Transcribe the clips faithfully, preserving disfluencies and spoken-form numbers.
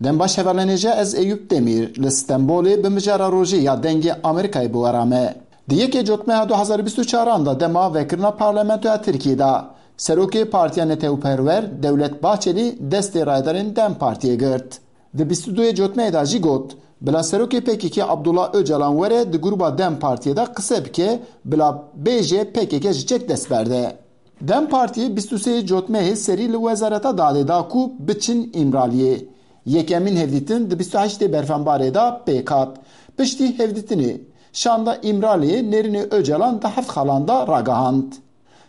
Dem baş hevalên hêja, ez Eyûp Demîr li Stenbolê bi mijara rojê ya Dengê Amerîkayê bi we re me. Di yekê Cotmeha du hezar û bîst û çaran de dema vekirina Parlamentoya Tirkiyê de Serokê Partiya Netewperwer Dewlet Bahçelî destê rayedarên DEM Partiyê girt. Di bîst û duyê Cotmehê de jî got, bila Serokê P K K Abdullah Ocalan were di grûba DEM Partiyê de qise bike, bila bêje P K K ji çek dest berde. DEM Partiyê bîst û sê Cotmehê serî li Wezareta Dadê da ku biçin Îmraliyê. Yekemîn hevdîtin di bîst û heştê Berfenbarê de pêk hat. Piştî hevdîtinê, şanda Îmraliyê nêrînê Ocalan di heft xalan de ragihand.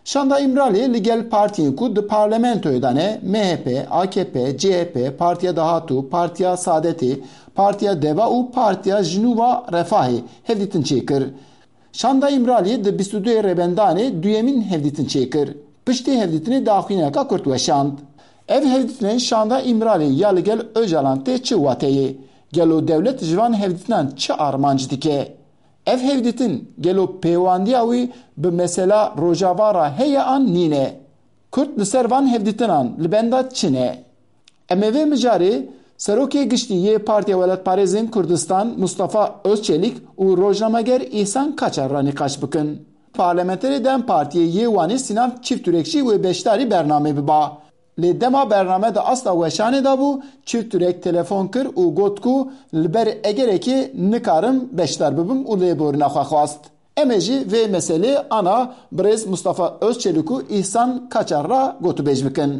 Şanda Îmraliyê li gel partiyên ku di parlamentoyê de ne, M H P, A K P, C H P, Partiya Dahatû, Partiya Saadetê, Partiya Deva û Partiya Jinûva Refahê hevdîtin çêkir. Şanda Îmraliyê di bîst û duyê Rêbendanê duyemîn hevdîtin çêkir. Piştî hevdîtinê daxuyaniyeka kurt weşand. Ev hevdîtinên şanda Îmraliyê ya li gel Ocalan tê çi wateyê? Gelo dewlet ji van hevdîtinan çi armanc dike? Ev hevdîtin gelo pêwandiya wî bi mesela Rojava re heye an nîne? Kurd li ser van hevdîtinan li benda çi ne? Em ê vê mijarê Serokê Giştî yê Partiya Welatparêzên Kurdistan Mustafa Özçelik û rojnameger Îhsan Kaçar re nîqaş bikin. Parlamenterê DEM Partiyê yê Wanê Sînan Çîfturek jî wê beşdarî bernamê biba. Lê dema bername di asta weşanê de bû, Çîfturek telefon kir û got ku li ber egerekê nikarim beşdar bibim û lêborîna xwe xwest. Em ê jî vê meselê ana birêz Mustafa Özçelik û Îhsan Kaçar re gotûbêj bikin.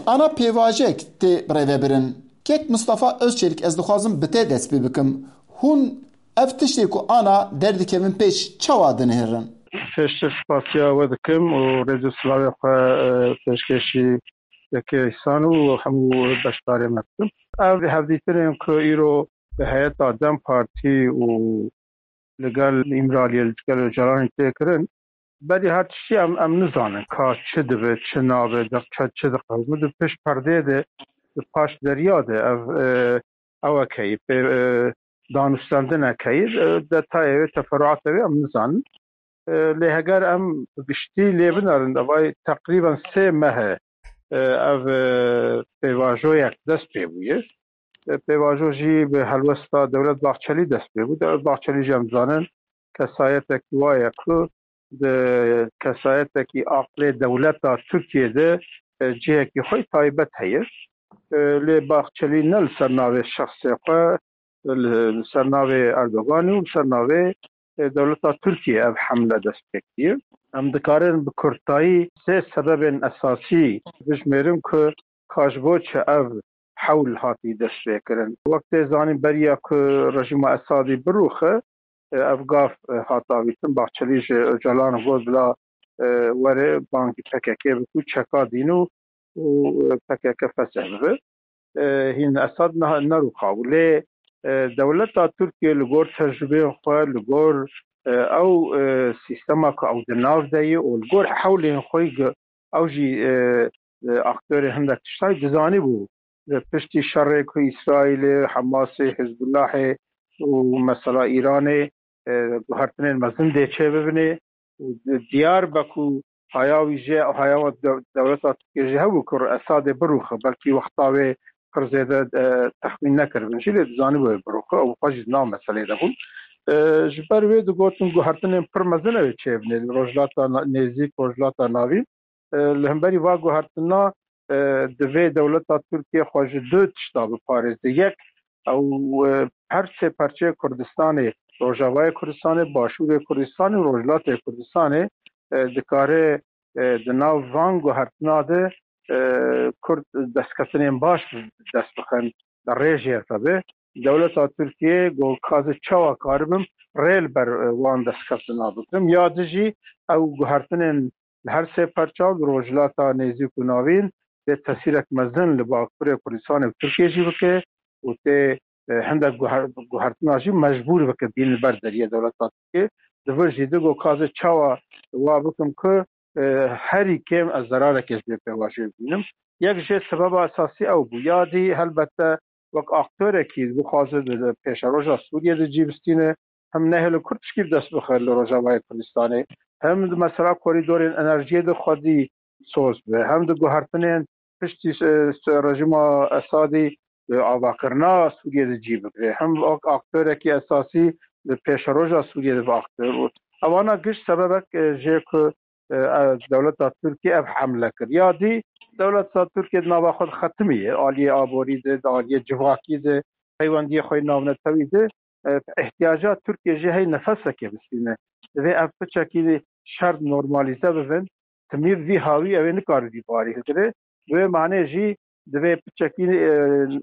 Ana pêvajoyek tê birêvebirin. Kek Mustafa Özçelik, ez dixwazim bi te dest pê bikim. Hûn ev tiştê ku ana derdikevin pêş çawa dinihêrin? Pêştir spasiya we dikim û rêz û silavê xwe, e, pêşkêşî yekê Îhsan û hemû beşdarê me dikim. Ev hevdîtinên ku îro bi heyeta DEM Partî û li gel Îmraliyê, li gel Ocalanê tê kirin, berî her tiştî em, em nizanin ka çi dibe, çi nabe, di çi, çi diqewime, di pişt perdê de, di paş derya de ev, e, ewekeyî, pê, e, danûstendinekeyî, e, detayê wê, teferuatê wê em nizanin. E, lê heger em bi giştî lê binerin, evay teqrîben sê meh e, e, ev, e, pêvajoyek dest pê bûye. E, pêvajo jî bi helwesta Dewlet Bahçelî dest pê bû. Dewlet Bahçelî jî em dizanin kesayetekî wa ye ku di kesayetekî aqlê dewleta Tirkiyê de, e, cihekî xwe taybet heye. E, lê Bahçelî ne li ser navê şexsê xwe, li, li ser navê Erdoganî û li ser navê, e, dewleta Tirkiyê ev hemle dest pê kiriye. Em dikarin bi kurtayî sê sebebên esasî bijmêrin ku ka ji bo çi ev hewl hatî dest pê kirin. Wek tê zanîn, beriya ku rejîma Esadî birûxe, e, ev gav, e, hat avîtin. Bahçelî ji Ocalan got bila, e, were bangî P K K bik û çeka dîn û, û, e, P K K fesih bibe. E, hîn Esad ne-, nerûxabû. Lê, e, dewleta Tirkiye li gor tecrûbeyên xwe, li gor, e, ew, e, sîstema ku ew di nav de ye û li gor hewlên xwe, ew jî, e, e, aktorê hindek tiştayî dizanîbû. Li piştî şerê ku Îsraîlê, Hemasê, Hizbullahê û mesela Îranê, e, guhertinên mezin dê çêbibinê û di-, diyar be ku haya wî jê, haya we de-, dewleta Tirkiye jî hebû ku Esadê birûxe, belkî wexta wê pir zêde, e, texmîn nekiribin jî, lê dizanîbû wê birûxe, ew xwe jî di nav meselê de bûn. E, ji ber wê digotin guhertinên pir mezin ew ê çêbinê li Rojhilata Na-, Nêzîk, Rojhilata Navîn. E, li hemberî va guhertina, e, divê dewleta Tirkiye xwe ji du tişta biparêze. Yek, ew, e, her sê parçeyê Kurdistanê, Rojavayê Kurdistanê, Başûrê Kurdistanê û Rojhilatê Kurdistanê, e, dikare, e, di nav van guhertina de, e, Kurd destketinên baş bi dest bixin, di rê jê re be. Dewleta Tirkiye got, ka ez çawa karibim rê li ber, e, wan destkeftina bikim. Ya di jî ew guhertinên li her sê parça û li Rojhilata Nêzîk û Navîn dê tesîrek mezin li Bakurê Kurdistanê û Tirkiyê jî bike û tê, e, hindek guher-, guhertina jî mecbûr bike bîn li ber deriyê dewleta Tirkiyê. Di vir jî di got, ka ez çawa wa bikim ku, e, herî kêm ez zerarekê ji vê pêvajoyê bibînim. Yek jê sebeba esasî ew bû. Ya dî helbette wek aktorekî dixwaze di, di pêşeroja Sûriyê de cî bistîne, hem nehêle Kurd tişkî bi dest bixe li Rojavayê Kurdistanê, hem di mesela korîdorên enerjiyê de xwedî soz be, hem di guhertinên piştî, e, rejîma Esadî e, avakirina Sûriyê de cî bigire, hem wek aktorekî esasî li pêşeroja Sûriyê de bi aktor û evana giş sebebek, e, jê ku, e, e, dewleta Tirkiye ev hemle kir. Ya dî dewleta Tirkiye di nava xwe de xetimiye, aliyê aborî de, di aliyê civakî de, peywendiyê xwe yê navnetewî de, e, ihtiyaca Tirkiye jê hey nefesekê bistîne. Divê ev piçekî şert normalîze bibin. Timî vî hawî ew ê nikare vî barî hilgire. Bi wê manê jî divê piçekî, e,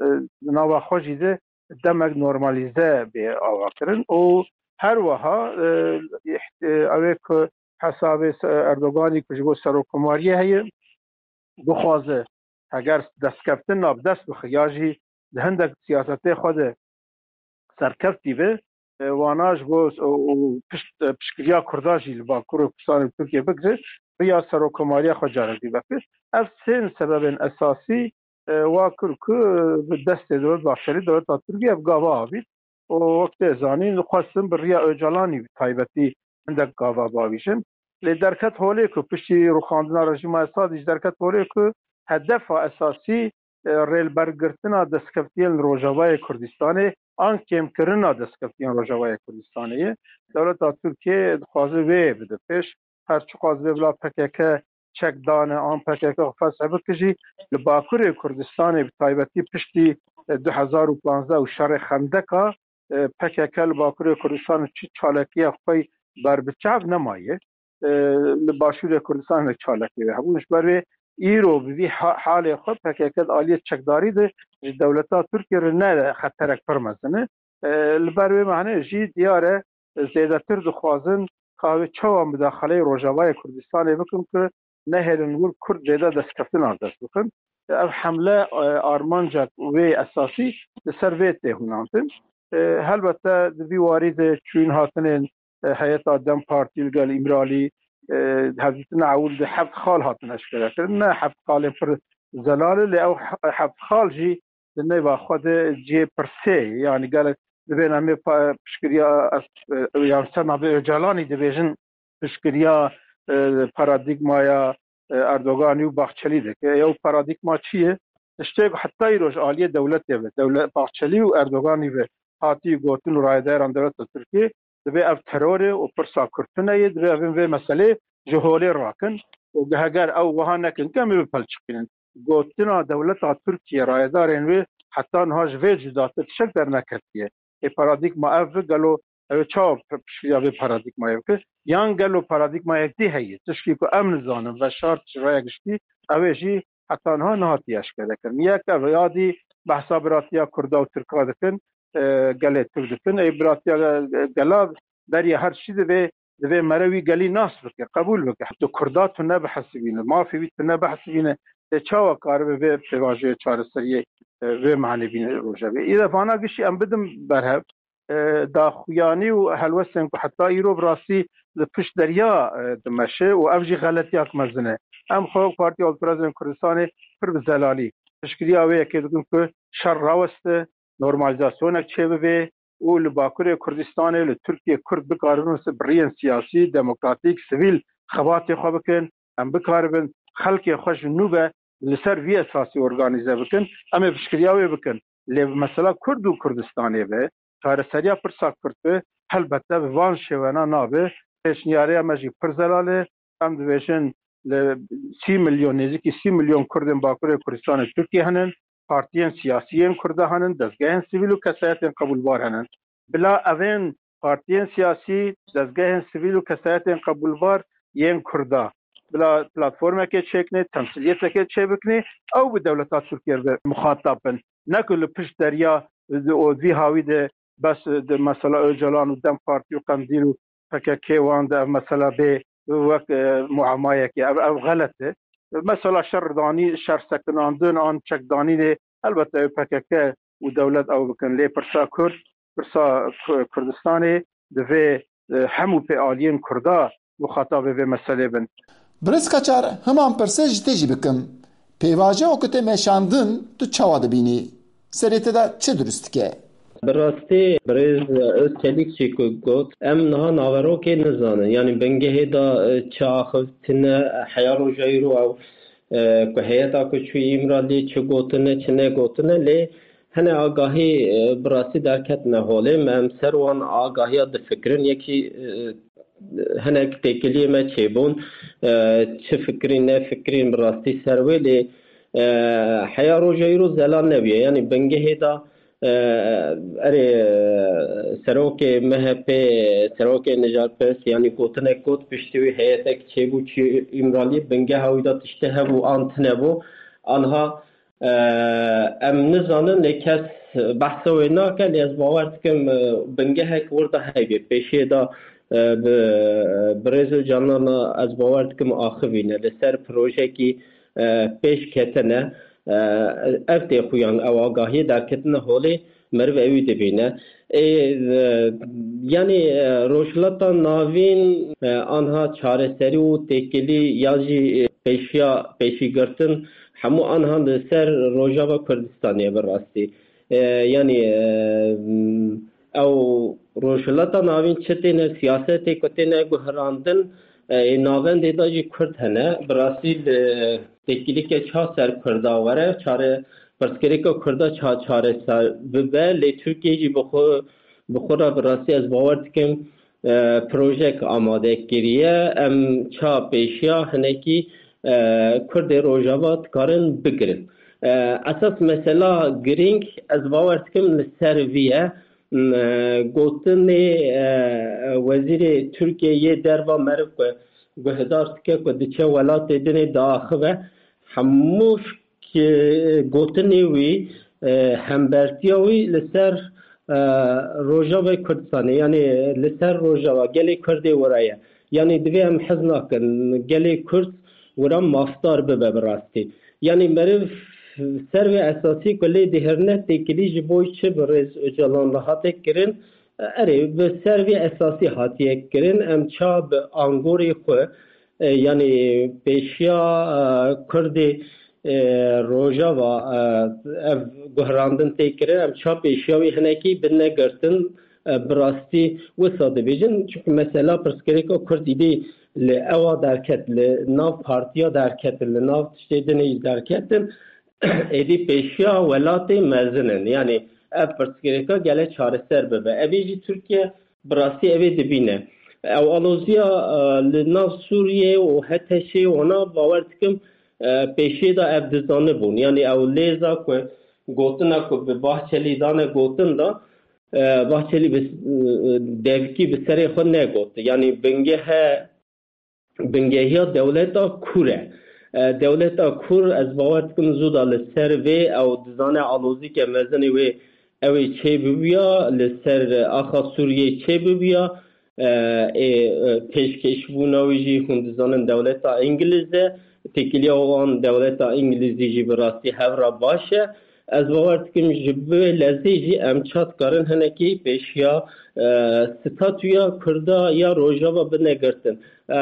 e, nava xwe jî de demek normalîze bê avakirin û her wiha, e, îht-, e, ew ê ku hesabê se-, Erdoganî ku ji bo serokkomariyê heye, bixwaze heger destkeftin nav dest bixe ya jî di hindek siyasetê xwe de serkeftî be, e, wana ji bo û, û pişt, e, piştgiriya Kurda jî li Bakur û Kurdistanê Tirkiye bigire, riya serokkomariya xwe carekî veke. Ev sê sebebên esasî, e, wa kir ku, e, bi destê Dewlet Bahçelî dewleta Tirkiye bi gava avît. Û wek tê zanîn, xwestin bi riya Ocalanî bi taybetî hindek gava bavîjin. Lê derket holê ku piştî rûxandina rejîma Esadî jî derket holê ku hedefa esasî, e, rêlbergirtina destkeftiyên li Rojavayê Kurdistanê an kêmkirina destkeftiyên Rojavayê Kurdistanê ye. Dewleta Tirkiye dixwaze wê bide pêş. Her çiqas vê bila P K K çek dane an P K K xwe fesih bike jî, li Bakurê Kurdistanê bi taybetî piştî, e, du hezar û panzdeh û şerê Xendeka, e, P K K li Bakurê Kurdistanê çi çalakiya xwe berbiçav nemaye. E, li Başûrê Kurdistanê çalakî wê hebûn. Ji ber wê îro bi vî ha-, halê xwe P K K di aliyê çekdarî de ji dewleta Tirkiye re ne xeterek pir mezin e. E, li ber wê manê jî diyar e, zêdetir dixwazin ka wê çawa mudaxaleyê Rojavayê Kurdistanê bikin ku nehêlin wir Kurd jêde destkeftinan dest bixin. Ev hemle, e, armancek wê esasî li ser vê tê hunandin. E, helbete di vî warî de çûyîn hatinên, e, heyeta DEM Partî li gel Îmralî, e, hevdîtina ewil de heft xal hatin eşkerekirin. Ne heft xalên pir zelal e, lê ew he-, heft xal jî di nêva xwe de cihê pirsê ye. Yanî gelek dibên em ê pa-, piştgiriya, e, yan ser navê Ocalanî dibêjin piştgiriya, e, paradîgmaya, e, Erdoganî û Baxçelî dike. Ew paradîgma çi ye? Tiştê ku heta îro ji aliyê dewletê ve, dewlet Baxçelî û Erdoganî ve hatî gotin û rayedaran dewleta Tirkiyê, divê ev teror e û pirsa Kurd tune ye, divê evin vê meselê ji holê rakin û heger ew wiha nekin, ke em ê bipelçiqînin. Gotina dewleta Tirkiye, rayedarên wê heta niha ji vê cudatir tiştek derneketiye. Ê paradîgma ev bi gelo ew ê çawa piştgiriya vê paradîgmayê bike? Yan gelo paradîgmayek dî heye? Tişkî ku em nizanin, veşart ji raya giştî, ew ê jî heta niha nehatiye eşkerekirin. Yek ev, ya dî behsa biratiya Kurda û Tirka dikin, e, gelê Tirk dikin. Ê biratiya, e, gela beriya her tiştî divê, divê mere wî gelî nas bike, qebûl bike. Tu Kurda tu nebihesibîne, mafê wî tu nebihesibîne, tê çawa karibe vê pêvajoyê çareseriyê, e, vê manê bîne rojevê? Î de vana giştî em bidin berhev, e, daxuyanî û helwestên ku heta îro bi rastî li pişt derya, e, dimeşe û ev jî xeletiyak mezin e. Em xwe wek Partiya Alperezên Kurdistanê pir bi zelalî piştgiriya wê yekê dikin ku şer raweste, normalîzasyonek çêbibe û li Bakurê Kurdistanê, li Tirkiye Kurd bikaribin bi riyên siyasî, demokratîk, sivîl xebatê xwe bikin. Em bikaribin xelkê xwe ji nû ve li ser vî esasî organîze bikin. Em ê piştgiriya wê bikin. Lê bi mesela Kurd û Kurdistanê be, çareseriya pirsa Kurd be, helbette bi van şêwena nabe. Pêşniyariya me jî pir zelal e. Em dibêjin li sî milyon, nêzîkî sî milyon Kurdên Bakurê Kurdistanê Tirkiye hene, partiyên siyasî yên Kurda hene, dezgehên sivîl û kesayetên qebûlbar hene. Bila evên partiyên siyasî, dezgehên sivîl û kesayetên qebûlbar yên Kurda, bila platformekê çêkinê, temsiliyetekê çêbikinê, ew bi dewleta Tirkiye re muxatab bin. Ne ku li pişt derya, di, û vî hawî de bes, di, mesela Ocalan û DEM Partî û Qendîl û P K K wan de ev mesela bê wek, e, muamayekê. Ev, ev xelet e. Mesela şerdanî, şer sekinandin an çekdanînê, helbette ew P K K û dewlet ew bikin. Lê pirsa Kurd, pirsa Ku-, Kurdistanê divê, e, hemû pê aliyên Kurda muxatabê vê meselê bin. Birêz Kaçar, heman pirse ji te jî bikim. Pêvajoya ku tê meşandin, tu çawa dibînî? Serê te de çi dirust dike? Bi rastî birêz Özçelik jî ku got, em niha naverokê nizanin. Yanî bingehê de, e, çi axivtine, heya roja îro ew, e, ku heyeta ku çû Îmraliyê çi gotine, çi negotine, lê hene agahî, e, bi rastî derketine holê. Me em ser wan agahiya difikirin. Yekî, e, hinek têkiliyê me çêbûn, e, çi fikirîn, ne fikirîn bi rastî ser wê lê, e, heya roja îro zelal nebûye. Yanî bingehê de, e, erê, e, serokê M H P, serokê nijarperest, yanî gotinek got, piştî wî heyetek çêbû çi Îmraliyê, bingeha wî de tiştê hebû an tune bû. Anha, e, em nizanin, lê kes behsa wê nake, lê ez bawer dikim, e, bingehek wir de heybe. Pêşiyê de, e, bi, bi rêz û canana ez bawer dikim axivîne. Li ser projekî, e, pêş ketine, e, ev tê xuyan, ew agahiyê derketine holê, meriv ewî dibîne. Ê, e, yanî, e, Rojhilata Navîn, e, anha çareserî û têkilî ya jî, e, pêşiya, pêşîgirtin hemû anha li ser Rojava Kurdistanê ye bi rastî. E, yanî, e, ew Rojhilata Navîn çi têne siyasetê ku têne guherandin, e, ê navendê de jî Kurd hene. Bi rastî li têkilîke ça ser Kurda were, çare, pirsgirêka Kurda ça çareser bibe, lê Tirkiye jî bi xwe, bi xwe re bi rastî ez bawer dikim, e, projek amade kiriye. Em ça pêşiya hinekî, e, Kurdê Rojava dikarin bigirin. E, esas mesela girîng ez bawer dikim li ser vî ye. M, e, gotinê, e, wezîrê Tirkiye yê derva meriv ku guhdar dike ku diçe welatê dinê diaxive, hemû ki gotinê wî, e, hembertiya wî li ser, e, Rojavayê Kurdistanê, yanî li ser Rojava gelê Kurdê wira ye. Yanî divê em hez nakin, gelê Kurd wira mafdar bibe bi rastî. Yanî meriv ser vê esasî ku lê dihêrine têkilî ji bo çi bi rêz Ocalan re hate kirin, erê, bi ser vê esasî hatiye kirin. Em ça bi angorê xwe, e, yanî pêşiya, e, Kurdê, e, Rojava, e, ev guherandin tê kirin, em ça pêşiya wî hinekî binegirtin, e, bi rastî wisa dibêjin. Çimkî mesela pirsgirêka Kurd îdî li ewa derket, li nav partiya derketin, li nav tiştê dinê jî derketin, êdî pêşiya welatê mezin in. Yanî ev pirsgirêka gele çareser bibe. Evê jî Tirkiye bi rastî evê dibîne. Ew aloziya, e, li nav Sûriyê û H T Ş'ê wana bawer dikim, e, pêşiyê de ev dizanibûn. Yanî ew lêza ku gotina ku bi Bahçelî dane gotin de, e, Bahçelî bi, e, devkî bi serê xwe negot. Yanî bingehe bingehiya dewleta kûr e. E, dewleta kûr, ez bawer dikim zû da li ser vê ew dizane alozîke mezinê wê ew ê çêbibûya, li ser axa Sûriyê çêbibûya, e, ê, e, pêşkêşbûna wî jî hûn dizanin dewleta Îngiliz e, têkiliya wan dewleta Îngilizî jî bi rastî hev re baş e. Ez bawer dikim ji vê lezê jî em ça dikarin hinekî pêşiya, e, statûya Kurda ya Rojava binegirtin. E,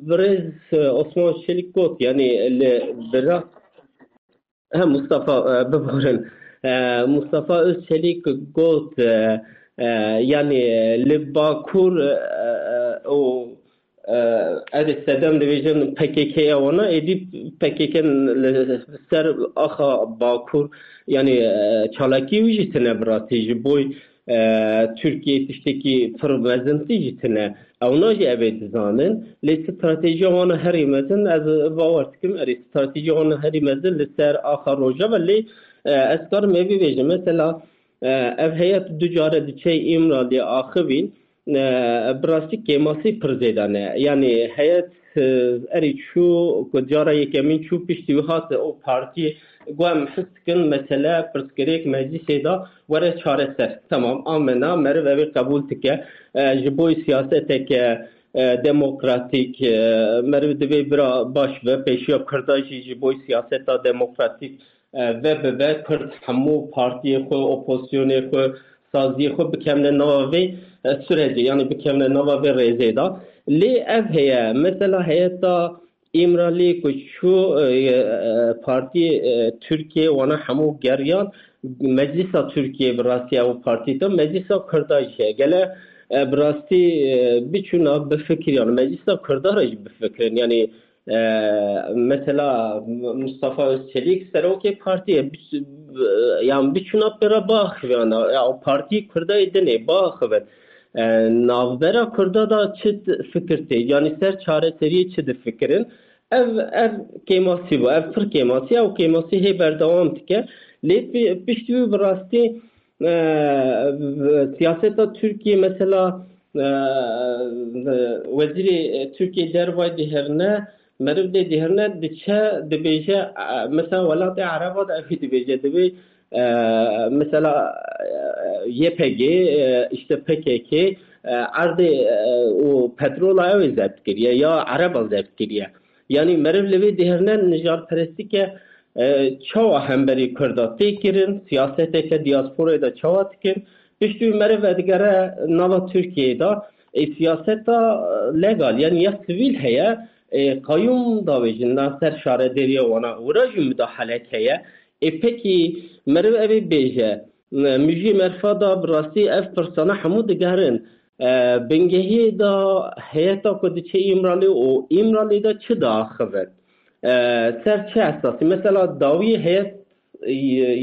birêz, e, Osman Çelik got, yanî li bira, he, Mustafa, e, biborin. E, Mustafa Özçelik got, e, e, yanî li Bakur, e, e, û, e, ez ê sedem dibêjin P K K ya wana, êdî P K K li ser axa Bakur, yanî, e, çalakî wî jî tine bi rastî ji bo, e, Tirkiye tiştekî pir mezintî jî tine. Ewna jî ev ê dizanin. Lê stratejiya wana herî mezin, ez bawer dikim, erê, stratejiya wana herî mezin li ser axa Rojava. Lê, e, ez karim ê bibêjim. Mesela, e, ev heyet du care diçe Îmraliyê axivîn, e, bi rastî kêmasî pir zêde ne. Yanî heyet, e, erê çû ku cara yekemîn çû, piştî wî hat û partiyê, got, em his dikin mesele, pirsgirêk meclîsê de were çareser. Temam, amena, meriv ev ê qebûl dike. E, ji bo siyaseteke, e, demokratîk, e, meriv divê bira baş be, pêşiya Kurda jî ji bo siyaseta demokratîk, e, ve bibe. Kurd hemû partiyê xwe, opozisyonê xwe, saziyê xwe bikevne nava vê, e, sürecê, yanî bikevne nava vê rêzê de. Lê ev heye, mesela heyeta Îmralî ku çû, e, e, partiyê, e, Tirkiye wana hemû geriyan, Meclisa Tirkiye bi rastî ew partî te, Meclisa Kurda jî heye. Gele, e, bi rastî, e, biçûna bifikirî, yanî Meclisa Kurda re jî bifikirin. Yanî e, mesela Mustafa Özçelik serokê partiyê, bi-, yan biçûna pêra biaxiviyana, ya o partiyê Kurda yê dinê biaxivin. E, navbera Kurda da çi t-, fikir tê, yanî ser çareseriyê çi difikirin? Ev, ev kêmasî bû, ev pir kêmasî, ew kêmasî hê berdewam dike. Lê pi-, piştî wî bi rastî, e, siyaseta Tirkiye, mesela, e, wezîrê Tirkiye dervayî dihêrine, meriv lê dihêrine, diçe, dibêje, e, mesela welatê Ereba de ev dibêje, dibê, e, mesela, e, Y P G, e, işte P K K, e, erdê, e, û petrola ew ê zebt kiriye, ya Ereba zebt kiriye. Yanî meriv li vê dihêrine nijadperestî ke, e, çawa hemberî Kurda tê kirin, siyaseteke diasporayê de çawa dikin, piştî wî meriv vedigere nava Tirkiyeyê de, e, siyaseta, e, legal, yanî ya sivîl heye, e, qayûm davêjin na ser şarederiya wana, wira jî mudahalek heye. E, pekî meriv evê bêje, e, mijî merfa da bi rastî ev pirsana hemû digerin. E, bingehiyê da heyeta ku diçe Îmralî û Îmralî de çi diaxivin? E, ser çi esasî? Mesela dawî heyet, e,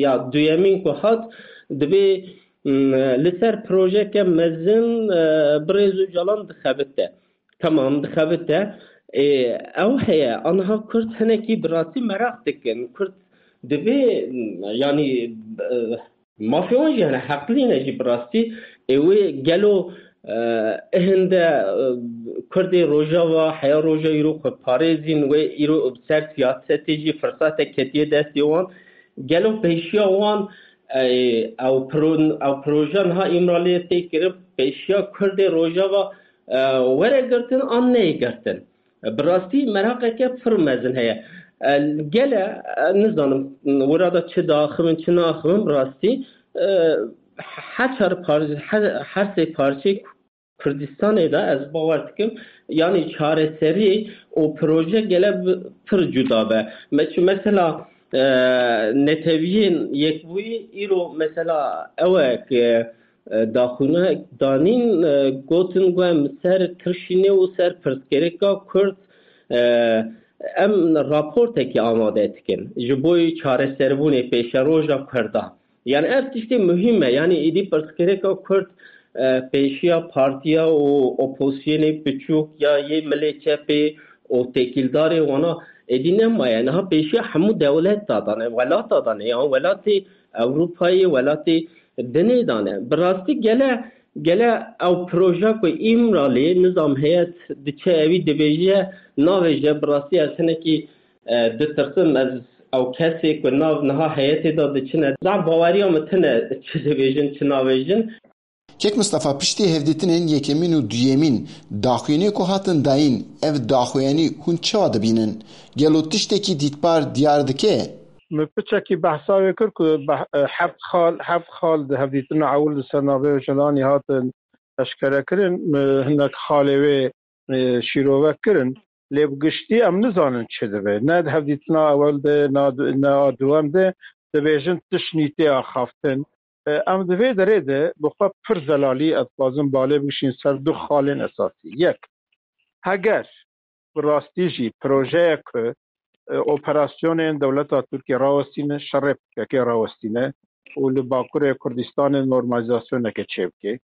ya duyemîn ku hat, dibê, m, li ser projeke mezin, e, birêz Ocalan dixebite. Tamam, dixebite. E, ew heye, aniha Kurd hinekî bi rastî meraq dikin. Kurd dibê, m, yanî, e, mafê wan jî hene, heqlî ne jî bi rastî. Ê wê gelo, e, hinde, e, Kurdê Rojava, heya roja îro xwe parêzîn, wê îro ser siyasetê jî firsatek ketiye destê wan. Gelo pêşiya wan, e, ew pro-, ew proje niha Îmraliyê tê kirin, pêşiya Kurdê Rojava, e, were girtin an neyê girtin? Bi rastî meraqeke pir mezin heye. E, gele, e, nizanim, wira da çi diaxivin, çi naaxivin, bi rastî, e, her çar par-, her, her sê parçeyê Kurdistanê de ez bawer dikim, yanî çareserî û proje gele bi-, pir cuda be. Me-, çi mesela, e, Netewiyên Yekbûyî îro mesela ew e ku, e, daxûne danîn, e, gotin ku em ser kirşînê û ser pirsgirêka Kurd, e, em raportekî amade dikin ji bo çareserbûnê pêşeroja Kurdan. Yani ev tiştê muhîm e. Yani êdî pirsgirêka Kurd, e, pêşiya partiya û opozisyonê piçûk ya yê milê çepê û têkildarê wana êdî nemaye. Niha pêşiya hemû dewleta dane, welata dane, ya welatê Ewropayê, welatê dinê dane. Bi rastî gele, gele ew proje ku Îmralê nizam heyet diçe ewî dibêje, navêje, bi rastî ez hinekî, e, ditirsim, ez ew kesê ku nav niha heyetê de diçine, zaf baweriya min tune çi dibêjin, çi navêjin. Kek Mistefa, piştî hevdîtinên yekemîn û duyemîn, daxuyaniyê ku hatin dayîn, ev daxuyanî hûn çawa dibînin? Gelo tiştekî dîtbar diyar dike? Min piçekî behsa wê kir ku beh-, e, heft xal, heft xal di hevdîtina ewil di ser navê Ocalanî hatin eşkere kirin. Min hinek xalê wê, e, şîrove kirin. Lê bi giştî em nizanin çi dibe. Ne di hevdîtina ewil de, ne di, ne a duwem de dibêjin tiştnî tê axaftin. E, em di vê derê de bi xwe pir zelalî, ez dixwazim balê bigişîn ser du xalên esasî. Yek, heger bi rastî jî projeyek ku, e, operasyonên dewleta Tirkiye rawestîne, şerê P K K rawestîne û li Bakurê Kurdistanê normalîzasyoneke çêbike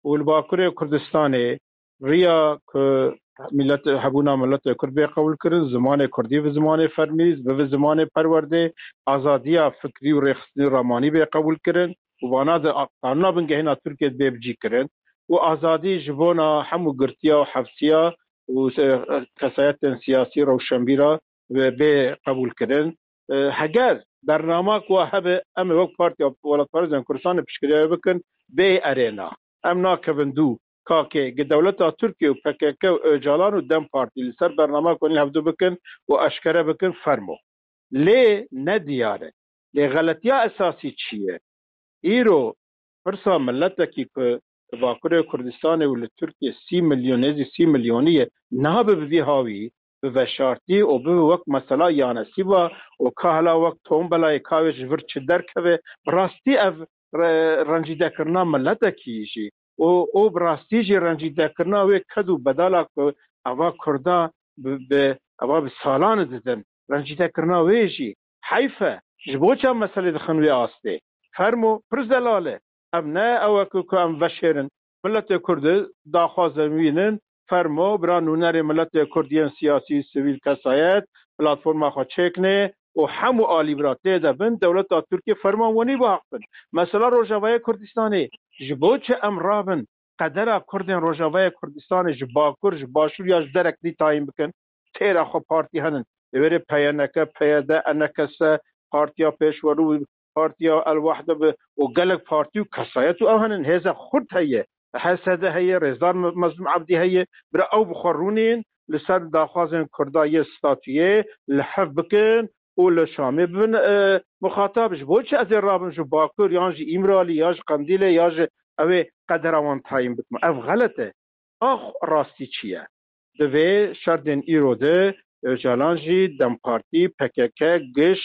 û li Bakurê Kurdistanê riya ku milet, hebûna miletê Kurd bê qebûlkirin, zimanê Kurdî bi zimanê fermî, bi zimanê perwerdê, azadiya fikrî û rêxistinî ramanî bê qebûlkirin û vana di a-, qanûna bingehîna Tirkiye bê bicîkirin û azadî ji bona hemû girtiya û hefsiya û se-, kesayetên siyasî, rewşenbîra bê, bê qebûlkirin. E, heger bernama ku hebe, em ê wek Partiya Welatparêzên Kurdistanê piştgiriya wê bikin, bê erêna. Em nakevin dû. Kakê, gi dewleta Tirkiye û P K K û Ocalan û DEM Partî li ser bernama ku hevdu bikin û eşkere bikin, fermo. Lê ne diyar e. Lê xeletiya esasî çi ye? Îro pirsa miletekî ku Bakurê Kurdistanê û li Tirkiye sî milyon, nêzî sî milyonî ye, nabe bi vî hawî, bi veşartî û bibe wek mesela Yanesîba û ka hela wek tombelayê ka wê ji vir çi derkeve, bi rastî ev re-, rencîdekirina miletekî jî û, û bi rastî jî rencîdekirina wê ked û bedala ku eva Kurda bi, bi, eva bi salan didin. Rencîdekirina wê jî heyf e. Ji bo çi em meselê dixin wê astê? Fermo, pir zelal e. Em ne ew e ku, ku em veşêrin. Miletê Kurd daxwazên wî nin, fermo, bira nûnerê miletê Kurd yên siyasî, sivîl, kesayet, platforma xwe çêkinê û hemû alî bira tê de bin, dewleta Tirkiye ferman wenî biaxivin. Mesela Rojavayê Kurdistanê, ji bo çi em rabin qedera Kurdên Rojavayê Kurdistanê ji Bakur, ji Başûr ya ji derek dî tayîn bikin? Têra xwe partî henin. Li wêrê P Y N K, P Y D, E N K S, Partiya Pêşwerû, Partiya El Wehde bi û gelek partî û kesayet û ew henin. Hêza xurt heye. H S D heye, Rêzdar Me-, Mezlûm Ebdî heye. Bira ew bi xwe rûnên li ser daxwazên Kurda yê statuyê li hev bikin û li Şamê bibin, e, muxatab. Ji bo çi ez ê rabim ji Bakur yan ji Îmralî ya ji Qendîlê ya ji ew ê qedera wan tayîn bikim? Ev xelet e. Ax rastî çi ye? Divê şerdên îro de Ocalan jî, DEM Partî, P K K, giş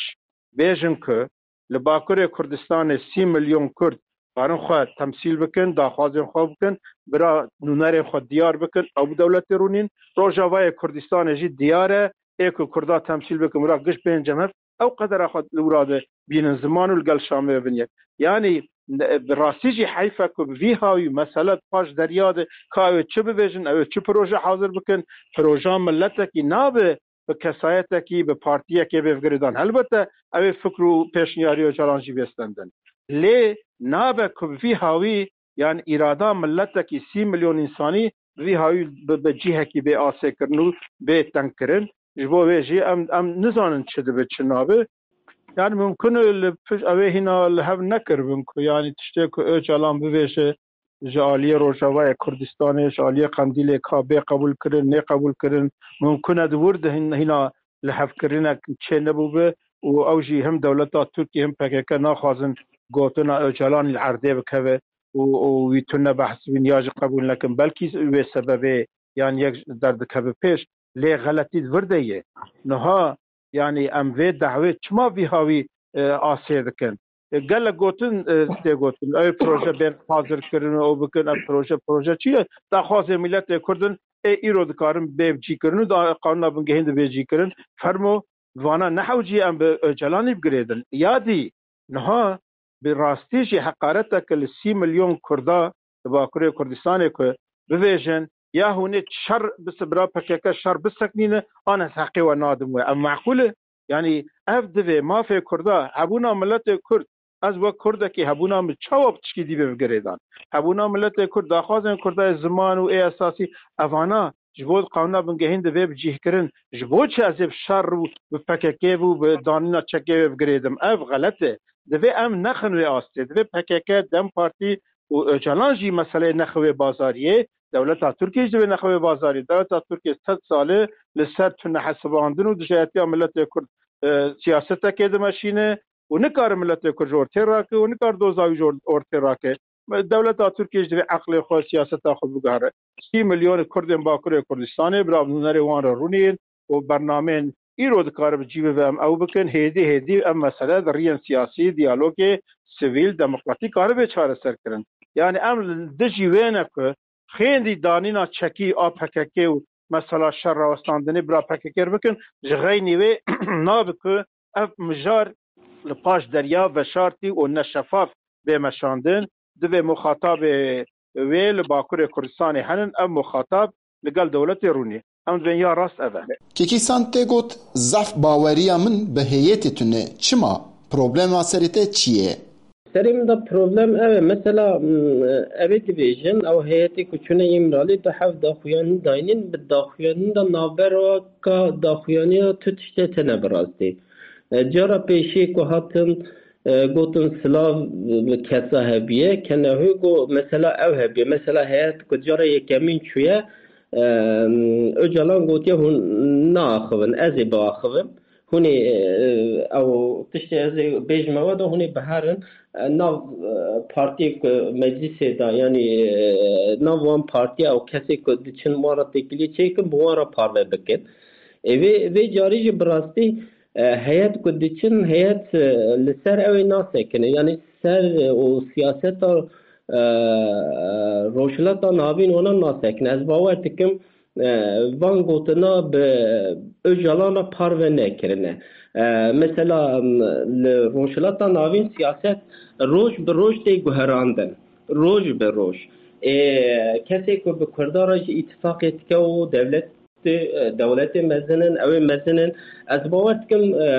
bêjin ku li Bakurê Kurdistanê sî milyon Kurd karin xwe temsîl bikin, daxwazên xwe bikin, bira nûnerên xwe diyar bikin, ew bi dewletê rûnîn. Rojavayê Kurdistanê jî diyar e, ê ku Kurda temsîl bikin, bira giş bên cem hev, ew qedera xwe li wira de bînin ziman û li gel Şamê bibin yek. Yanî ne-, bi rastî jî heyf e ku bi vî hawî mesele paş derya de ka ew ê çi bibêjin, ew ê çi proje hazir bikin, proja miletekî nabe bi kesayetekî, bi partiyekê bê girêdan. Helbete ew ê fikr û pêşniyarî Ocalan jî bê stendin. Lê nabe ku bi vî hawî, yan îrada miletekî sî milyon însanî bi vî hawî bi, bi cihekî bê asêkirin û bê tengkirin. Ji bo wê jî em, em nizanin çi dibe, çi nabe. Yani mumkin e li pişt ew ê hîna li hev nekiribin ku, yani tiştê ku Ocalan bibêje ji aliyê Rojavayê Kurdistanê, ji aliyê Qendîlê ka bê qebûlkirin, nê qebûlkirin, mumkin e di wir de hîn-, hîna lihevkirinek çê nebûbe û ew jî him dewleta Tirkiyê him P K K naxwazin gotina Ocalanî li erdê bikeve û, û wî tune behs bîn ya jî qebûl nekin. Belkî wê sebebê yan yek derdikeve pêş, lê xeletî di vir de ye. Niha, yanî em vê dehwê çima vî hawî, e, asê dikin? E, gelek gotin, e, tê gotin. Ew proje bên hazir kirin, ew bikin, ev proje, proje çi ye? Daxwazê miletê Kurd in, ê îro dikarin bê cî kirin û da qanûna bingehîn de bê cî kirin. Fermo, vana ne hewcî em bi Ocalanî bigirêdin. Ya dî, niha bi rastî jî heqareteke li sî milyon Kurda li Bakurê Kurdistanê ku bibêjin, ya hûn ê şer bis-, bira P K K şer biseknîne, an ez heqê we nadim we. Ev meqûl e? Yanî ev divê mafê Kurda, hebûna miletê Kurd, ez wek Kurdekî hebûna min çawa bi tişkî dî bê bigirêdan? Hebûna miletê Kurd, daxwazên Kurda yê ziman û ê esasî, evana ji bo qanûna bingehîn divê bicîhkirin. Ji bo çi ez ê bi şer û bi P K K û bi danîna çekê wê bigirêdim? Ev xelet e. Divê em nexin wê astê. Divê P K K, DEM Partî û Ocalan jî meseleyê nexe wê bazariyê. Dewleta Tirkiye jî divê nexe wê bazariyê. Dewleta Tirkiye sed sal e li ser tunehesibandin û dijayetiya miletê Kurd, e, siyasetekê dimeşîne û nikare miletê Kurd ji ortê rake û nikare doza wî ji or-, ortê rake. Dewleta Tirkiye jî divê eqlê xwe, siyaseta xwe biguhere. Sî milyon Kurdên Bakurê Kurdistanê, bira bi nûnerê wan re rûnîn û bernameyên îro dikare bi cî bibe, em ew bikin. Hêdî hêdî ev mesele di riyên siyasî, diyalogê sivîl, demokratîk karibe çareser kirin. Yani em li dijî wê ne ku xêndî danîna çekî a P K K û mesela şer rawestandinê bira P K K bikin, ji xeynî wê nabe ku ev mijar li paş derya veşartî û neşefaf bê meşandin. Divê muxatabê wê li Bakurê Kurdistanê henin, ev muxatab li gel dewletê rûnî. Em dibên ya rast ev e. Kekî San tê got, zaf baweriya min bi heyetê tune. Çima? Problema serê te çi ye? Serê min de problem ev e. Mesela, m, ev ê dibêjin, ew heyetê ku çûne Îmralî, tu hev daxuyanî dayînin, bi daxuyanî de navbera ka daxuyaniya tu tiştê tene bi rastî. E, cara pêşî ku hatin, e, gotin silav bi kesa hebiye, kenehû got mesela ew hebiye. Mesela heyet ku cara yekemîn çûye, e, Ocalan gotiye hûn naaxivin, ez ê biaxivim. Hûn ê, e, ew tiştê ez ê bêjime we de hûn ê biherin, e, nav, e, partiyê ku meclisê de, yanî, e, nav wan partiya ew kesê ku diçin wan re têkiliyê çêkin, bi wan re parve bikin. Ê vê, vê carî jî bi rastî, e, heyet ku diçin, heyet, e, li ser ew ê nasekine. Yanî ser, e, û siyaseta, e, Rojhilata Navîn wana nasekine. Ez bawer dikim, e, van gotina bi Ocalan re parve nekirine. E, mesela, m, li Rojhilata Navîn siyaset roj bi roj tê guherandin. Roj bi roj. Ê, kesê ku bi Kurdan re jî îtifaqê dike û dewlet, e, dewletê mezin in, ew ê mezin in. Ez bawer dikim, e,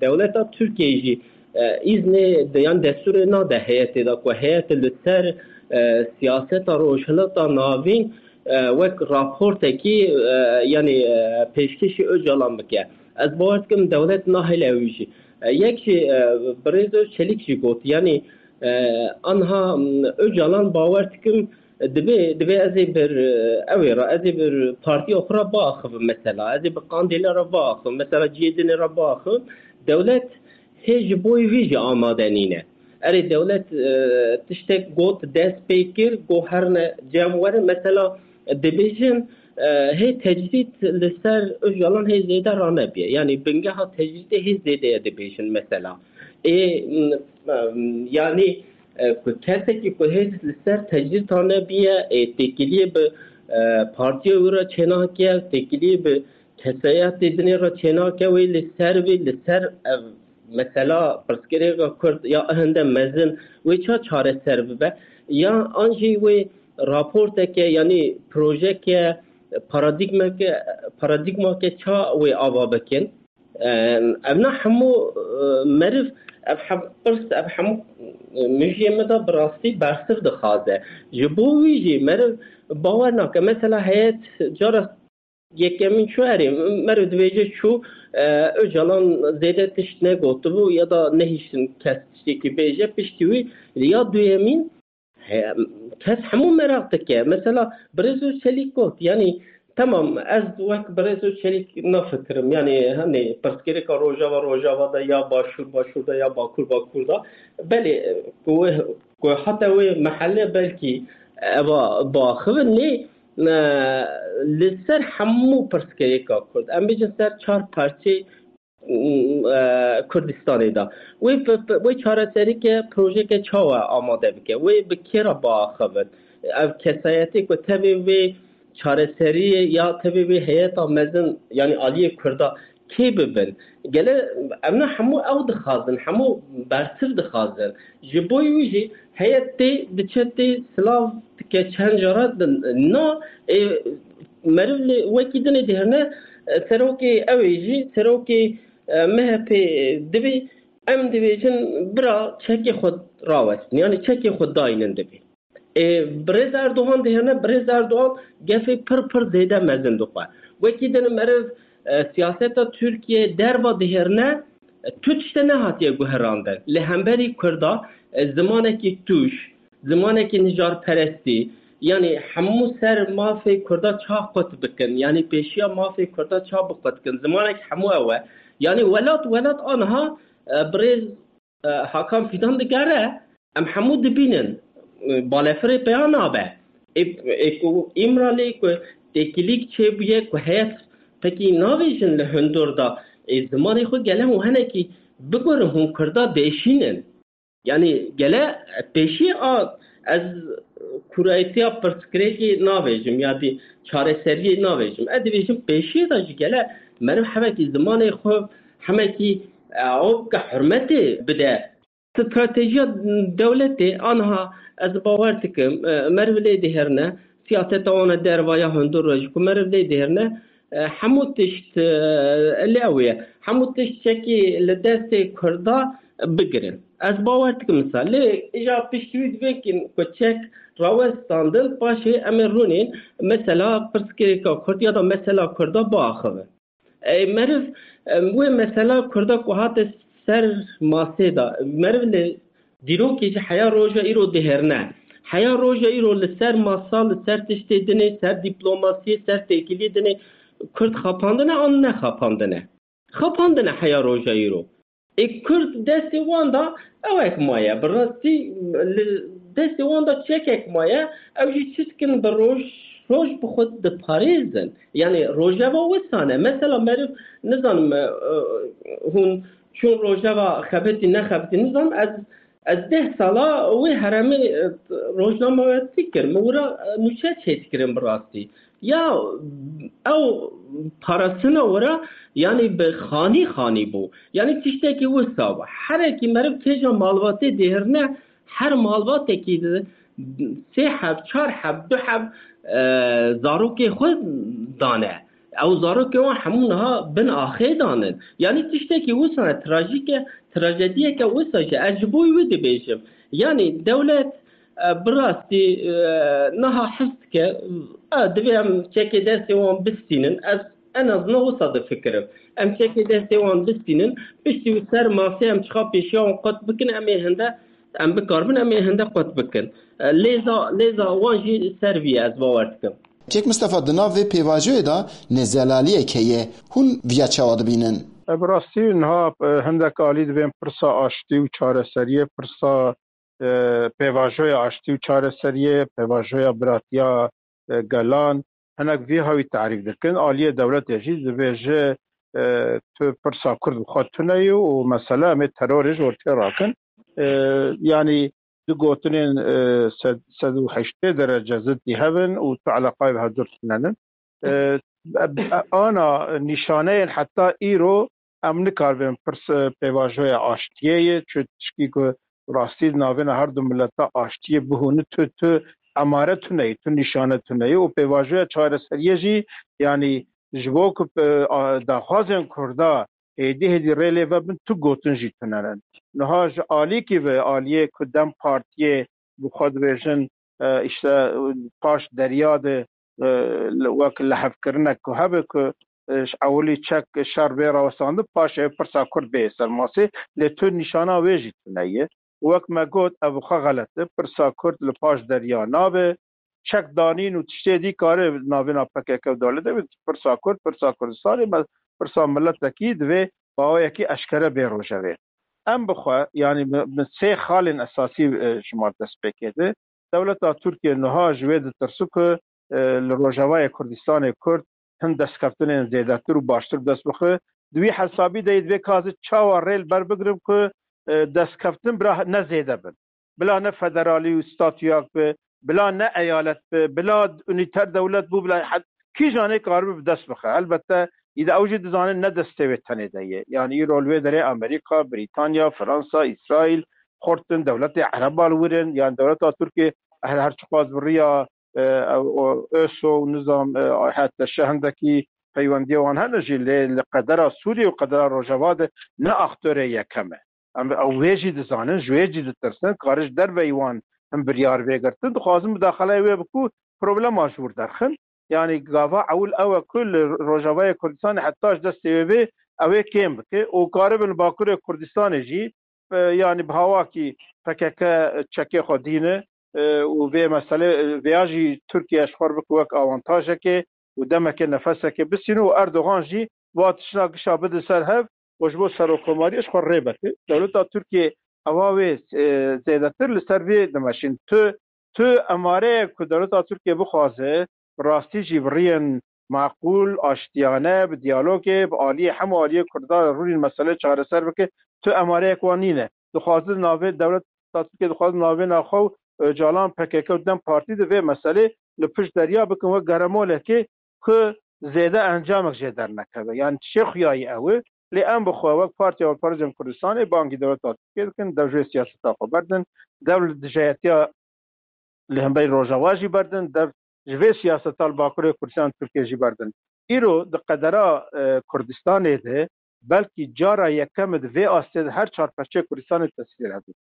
dewleta Tirkiyeyê jî, e, îznê de, yan destûrê nade heyetê de ku heyet li ser, e, siyaseta Rojhilata Navîn, e, wek raportekî, e, yanî, e, pêşkêşî Ocalan bike. Ez bawer dikim dewlet nahêle wî jî. E, yek jî, e, birêz Çelîk jî got, yanî, e, anha, m, Ocalan bawer dikim, Divê, divê ez ê bir, e, ew ê re, ez ê bir partiya xwe re biaxivim mesela. Ez ê bi qandêle re biaxivim. Mesela cihê dinê re biaxivim. Dewlet hê ji bo wî jî amade nîne. Erê dewlet, e, tiştek got, dest pê kir, got herne cem werin. Mesela dibêjin, e, hê tecrîd li ser Ocalan hê zêde ranebiye. Yanî bingeha tecrîdê hê zêde ye dibêjin mesela. Ê, m, m, yanî e, ku kesekî ku hêz li ser tecrîd tane biye, ê, têkiliyê bi, e, partiya wî re çênake, têkiliyê bi kesayetê dinê re çênake, wê li ser wê, li ser, e, mesela pirsgirêka Kurd ya hinde mezin wê ça çareser bibe? Ya an jî wê raporteke, yanî projeke, paradîgmeke, paradîgmake ça wê ava bikin? Em, ev ne hemû, e, meriv, ev hem pirs, ev hemû, e, mijiyê me de bi rastî bersiv dixwaze. Ji bo wî jî meriv bawer nake. Mesela heyet cara yekemîn çû erê, meriv dibêje çû, e, Ocalan zêde tişt negotibû ya da nehiştin kes tiştekî bêje, piştî wî ya duyemîn He, kes hemû meraq dike. Mesela Birêz Çelîk got, yanî temam, ez wek Birêz Çelîk nafikirim. Yanî hani pirsgirêka Rojava, Rojava de ya Başûr, Başûr de ya Bakur, Bakur de. Belê, ku, ku hata wê mehele belkî eva biaxivin, lê, e, li ser hemû pirsgirêka Kurd. Em bêjin ser çar parçeyê e, Kurdistanê de. Wê bi, bi, wê çareserîke, projeke çawa amade bike? Wê bi kê re biaxivin? Ev kesayetê ku tevê wê çareseriyê ya tevê wê heyeta mezin, yanî aliyê Kurda kê bibin? Gele em ne hemû ew dixwazin, hemû bersiv dixwazin. Ji bo wî jî heyet tê, diçe tê, silav dike çend cara din. Na, ê, meriv lê wekî dinê dihêrine, e, serokê ew ê jî, serokê, e, M H P divê, em dibêjin bira çekê xwe rawestin, yanî çekê xwe daynin divê. Ê, Birêz Erdogan dihêrine, Birêz Erdogan gefê pir pir zêde mezin dixwe. Wekî din meriv, e, siyaseta Tirkiye derva dihêrine, e, tu tişte nehatiye guherandin. Li hemberî Kurda, e, zimanekî tûj, zimanekî nijarperestî, yanî hemû ser mafê Kurda ça qut bikin, yanî pêşiya mafê Kurda ça biqut kin, zimanek hemû ew e. Yanî welat, welat aniha, e, birêz, e, Hakan Fidan digere, em hemû dibînin, e, balefirê peya nabe. Ê, ê ku Îmralê ku têkilîk çêbûye, ku heyet pekî navêjin li hundur da, ê, zimanê xwe gele hûn henekî bigurin, hûn Kurda dêşînin. Yanî gele pêşî a ez kûrayîtiya pirsgirêkê navêjim ya dî çareseriyê navêjim. Ez dibêjim pêşiyê de jî gele meriv hemekî zimanê xwe, hemekî, e, ew ke hurmetê bide. Stratejiya dewletê aniha ez bawer dikim, e, meriv lê dihêrine, siyaseta wan e derva ya hundur re jî ku meriv lê dihêrine, e, hemû tişt, e, li ew ye. Hemû tişt çekî li destê Kurda bigirin. Ez bawer dikim wisa. Lê îja piştî wî divêkin ku çek rawestandin, paşê em ê rûnên mesela pirsgirêka Kurd ya da mesela Kurda biaxivin. Ê, meriv, em, wê mesela Kurda ku hate ser masê de, meriv li dîrokê jî heya roja îro dihêrine. Heya roja îro li ser masa, li ser tiştê dinê, ser dîplomasiyê, ser têkiliyê dinê Kurd xapandine an nexapandine? Xapandine heya roja îro. Ê Kurd destê wan da ewek maye. Bi rastî li destê wan da çekek maye. Ew jî çi dikin bi roj, roj bi xwe diparêzin. Yanî rojeva wisa ne. Mesela meriv nizanim, e, e, hûn çûn rojeva xebitî nexebitî nizanim. Ez Ez deh sala wê heremê, e, rojnamevetî kir. Min wira, e, nûçe çêdikirin bi rastî. Ya ew parastina wira, yanî bi xanî xanî bû. Yanî tiştekî wisa bû. Herekî meriv kêja malbatê dihirine, her malbatekî di sê heb, çar heb, du heb, e, zarokê xwe dane. Ew zarokê wan hemû niha bin axê danin. Yanî tiştekî wisa ne, trajîk e, trajediyeke wisa jî. Ez ji bo wî dibêjim. Yanî dewlet, e, bi rastî, e, niha his dike, e, divê em çekê destê wan bistînin. Ez en azından wisa difikirim. Em çekê destê wan bistînin, piştî wî ser masê em çiqa pêşiya wan qut bikin, em ê hinde, em bikaribin, em ê hinde qut bikin. E, lêza, lêza wan jî ser vî ye, ez bawer dikim. Kek Mistefa, di nav vê pêvajoyê de nezelaliyek heye. Hûn viya çawa dibînin? E, bi rastî niha, e, hindek alî dibên pirsa aştî û çareseriyê, pirsa, e, pêvajoya aştî û çareseriyê, pêvajoya biratiya, e, gelan, hinek vî hawî tarîf dikin. Aliyê dewletê jî dibêje, e, tu pirsa Kurd bi xwe tune yî û mesele em ê terorê ji ortê rakin. E, yanî du gotinên, e, sed, sed û heştê derece ziddî hev in û tu eleqayê bi hevdûr tune nin. E, e, ana nîşaneyên heta îro em nikaribin pirs, e, pêvajoya aştiyê ye, çi tişkî ku rastî di navêna her du mileta aştiyê bihûni, tu, tu emare tune yî, tu nîşane tune yî û pêvajoya çareseriyê jî, yanî ji bo ku, e, a, daxwazên Kurda hêdî hêdî rê lê vebin, tu gotin jî tune ne. Niha ji alîkî ve, aliyê ku DEM Partiyê bi xwe dibêjin, e, îşte, e, paş derya de, e, li, wek lihevkirinek ku hebe ku, e, ji ewilî çek şer bê rawestandin, paşê pirsa Kurd bê ser masê, lê tu nîşana wê jî tune ye. Wek me got, ev xwe xelet e. Pirsa Kurd li paş derya nabe. Çek danîn û tiştê dî kare navêna P K K û dewletê be. Pirsa Kurd, pirsa Kurdistanê, me, pirsa miletekî divê bi awayekî eşkere bê rojevê. Em bi xwe, yanî bi, bi sê xalên esasî, e, ji me destpêkê de. Dewleta Tirkiye niha ji wê ditirsi ku, e, li Rojavayê Kurdistanê Kurd hin destkeftinên zêdetir û baştir bi dest bixe. Di wî hesabî de yê divê ka ez çawa rê li ber bigirim ku, e, destkeftin bila ne zêde bin. Bila ne federalî û statûyak bi, bila ne eyalet bi, bila unîter dewlet bû, bila he-, kîjanê karibe bi dest bixe. Elbette, î de ew jî dizanin ne destê wê tenê de ye. Yanî îro li wê derê Amerîka, Brîtanya, Fransa, Îsraîl, xurt in, dewletê Ereba li wir in, yanî dewleta Tirkiyê her, her çiqas bi riya, e, o, ÖSO û nizam, e, hete şe hindekî peywendiyê wan hene jî, lê li qedera Sûriyê û qedera Rojava de ne aktorê yekem e. Em, ew wê jî dizanin, ji wê jî ditirsin, kare ji derveyî wan hin biryar vê girtin, dixwazin mudaxaleyê wê bikin, problema ji wir derxin. Yanî gava ewil ew e ku li Rojavayê Kurdistanê heta ji destê wê bê, ew ê kêm bike û karibin li Bakurê Kurdistanê jî, e, yanî bi hawakî P K K çekê xwe dîne, e, û vê meselê, e, vêya jî Tirkiye ji xwe re bike wek awantajekê û demekê nefesekê bistîne û Erdogan jî wa tiştna gişa bide ser hev û ji bo serokkomariyê ji xwe rê bike. Dewleta Tirkiye ewa wê, e, zêdetir li ser vê dimeşîn. Tu, tu emareyek ku dewleta Tirkiye bixwaze, bi rastî jî bi riyên maqûl, aştiyane, bi diyalogê, bi aliyê hemû aliyê Kurdan re rûnîn meselê çareser bike, tu emareyek wan nîne. Dixwazin navê dewleta Tirkiye, dixwazin navê naxwe û Ocalan, P K K û DEM Partî di vê meselê li pişt derya bikin wek geremolekê ku zêde encamek jê dernekeve. Yanî tişê xuyayî ew e. Lê em bi xwe wek Partiya Hevpar Cem Kurdistanê bangî dewleta Tirkiye dikin, dev ji vê siyaseta xwe berdin, dev li dijayetiya li hemberî Rojava jî berdin, dev ji vê siyaseta li Bakurê Kurdistan Tirkiye jî berdin. Îro di qedera, e, Kurdistanê de belkî cara yekem e di vê astê de her çar perçeyê Kurdistanê tesîr hebe.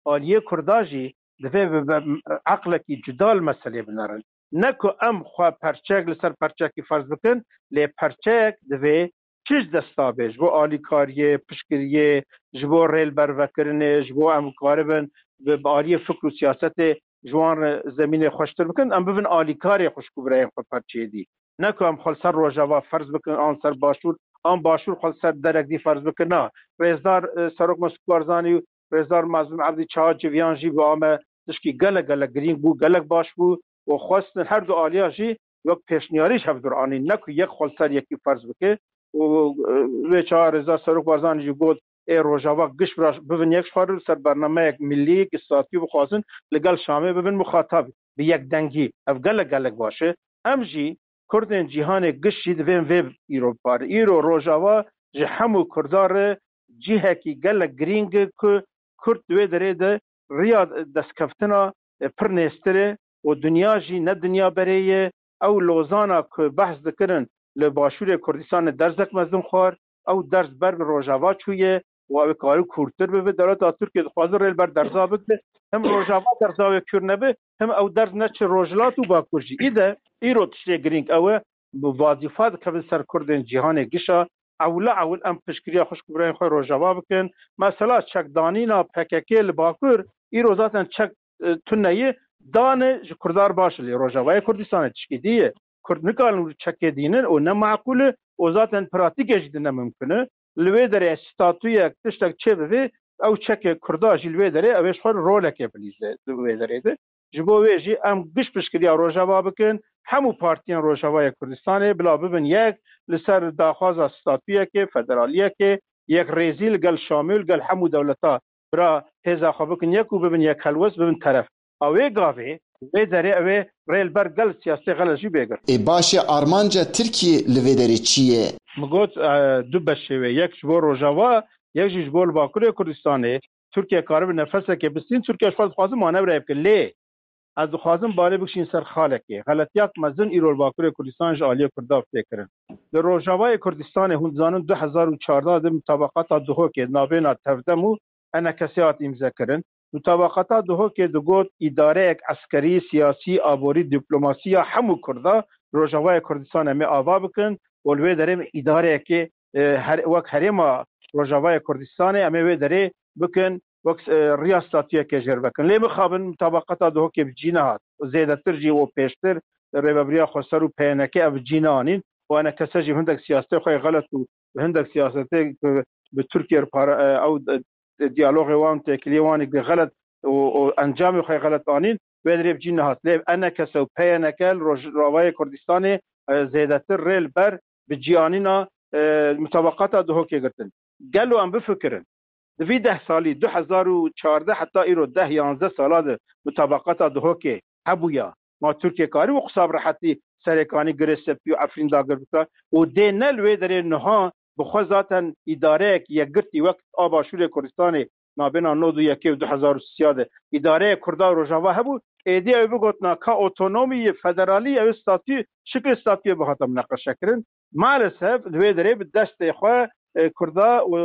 Aliyê Kurda jî divê bi, bi eqlekî cuda li meselê binerin. Ne ku em xwe perçeyek li ser perçeyekî ferz bikin, lê perçeyek divê çi ji desta bê ji bo alîkariyê, piştgiriyê, ji bo rêlbervekirinê, ji bo em karibin bi, bi aliyê fikr û siyasetê ji wan re zemînê xweştir bikin, em bibin alîkarê xwişk û birayên xwe perçeyê dî. Ne ku em xwe li ser Rojava ferz bikin, an ser Başûr, an Başûr xwe li ser derek dî ferz bikin. Na, rêzdar, e, Serok Mesûd Barzanî û rêzdar Mazlûm Ebdî çawa civiyan jî bi ame tişkî gelek, gelek girîng bû, gelek baş bû û xwestin her du aliya jî wek pêşniyarî ji hevdûr anîn, ne ku yek xwe li ser yekî ferz bike û, e, wê çawa rêzdar Serok Barzanî jî got, ê Rojava giş bira-, bibin yek ji xwe re li ser bernameyek millî, statû bixwazin, li gel Şamê bibin muxatab bi yekdengî. Ev gelek gelek baş e. Em jî Kurdên cîhanê giş jî divên vê îro bipare. Îro Rojava ji hemû Kurdan re cihekî gelek girîng e ku Kurd di wê derê de riya destkeftina, e, pir nêztir e û dinya jî ne dinya berê ye. Ew Lozana ku behs dikirin li Başûrê Kurdistanê derzek mezin xwar, ew derz ber bi Rojava çûye û ew ê karî kûrtir bibe. Dewleta Tirkiye dixwaze rê li ber derza bigire. Him Rojava derza wê kûr nebe, him ew derz neçe Rojhilat û Bakur jî. Î de îro tiştê girîng ew e, bi vazîfa dikevin ser Kurdên cîhanê gişa. Ewla ewil em piştgiriya xwişk û birayên xwe Rojava bikin. Mesela çekdanîna P K K li Bakur îro zaten çek, e, tune ye, dane ji Kurdan baş e, lê Rojavayê Kurdistanê tişkî dî ye. Kurd nikarin wî çekê dînin û ne meqûl e û zaten pratîkê jî di ne mimkun e. Li wê derê statuyek, tiştek çêbivê, ew çekê Kurda jî li wê derê ew ê ji xwe rolekê bilîze di wê derê de. Ji bo wê jî em giş piştgiriya Rojava bikin, hemû partiyên Rojavayê Kurdistanê bila bibin yek li ser daxwaza statuyekê, federaliyekê, yekrêzî li gel Şamê û li gel hemû dewleta bira hêza xwe bikin yek û bibin yek helwest, bibin teref. A wê gavê, wê derê ew ê rê li ber gel siyasê xelet jî bê girt. Ê baş e, armanca Tirkiyê li vê derê çi ye? Min got, e, du beşê wê, yek ji bo Rojava, yek jî ji bo li Bakurê Kurdistanê. Tirkiye karibe nefesekê bistîn, Tirkiye ji xwe dixwaze manewreyê bike. Lê ez dixwazim balê bikişîn ser xalekê. Xeletiyak mezin îro li Bakurê Kurdistanê ji aliyê Kurda tê kirin. Li Rojavayê Kurdistanê hûn dizanin du hezar û çardeh de mutabaqata Duhokê navbêna Tevdem û E N K S hat îmzekirin. Mutabaqata Duhokê digot îdareyek eskerî, siyasî, aborî, dîplomasî ya hemû Kurda Rojavayê Kurdistanê em ê ava bikin û li wê derê em îdareyekê, e, her, wek herêma Rojavayê Kurdistanê em ê wê derê bikin, wek, e, riya statuyekê jêr vekin. Lê mixabin mutabaqata Duhokê bi cî nehat. Zêdetir jî û pêştir Rêvebiriya Xweser û P Y N K ev bi cî neanîn. Û E N K S jî hindek siyasetê xwe yê xelet û hindek siyasetê ku bi Tirkiye re para, e, ew, e, diyalogê wan, têkiliyê wan ê xelet û, û encamê xwe xelet anîn, wê dirê bi cî nehat. Lê E N K S û P Y N K li Rojavayê Kurdistanê, e, zêdetir rê li ber bi cîanîna, e, mutabaqata Duhokê girtin. Gelo em bifikirin, di vî deh salî, du hezar û çardeh heta îro deh yanzdeh sala de mutabaqata Duhokê hebûya. Ma Tirkiye karî wî qisa bi rehetî Serêkanî, Girê Spî û Efrîn dagir bike û dê ne li wê derê niha bi xwe zaten îdareyek yekgirtî wek a Başûrê Kurdistanê nabêna nod û yekê û du hezar û sisiya de îdareyê Kurda û Rojava hebû, êdî ew bigotina ka otonomî yê federalî ew statû, şiklê statûyê bihata mineqeşekirin. Maalesef li wê derê bi destê xwe, e, Kurda û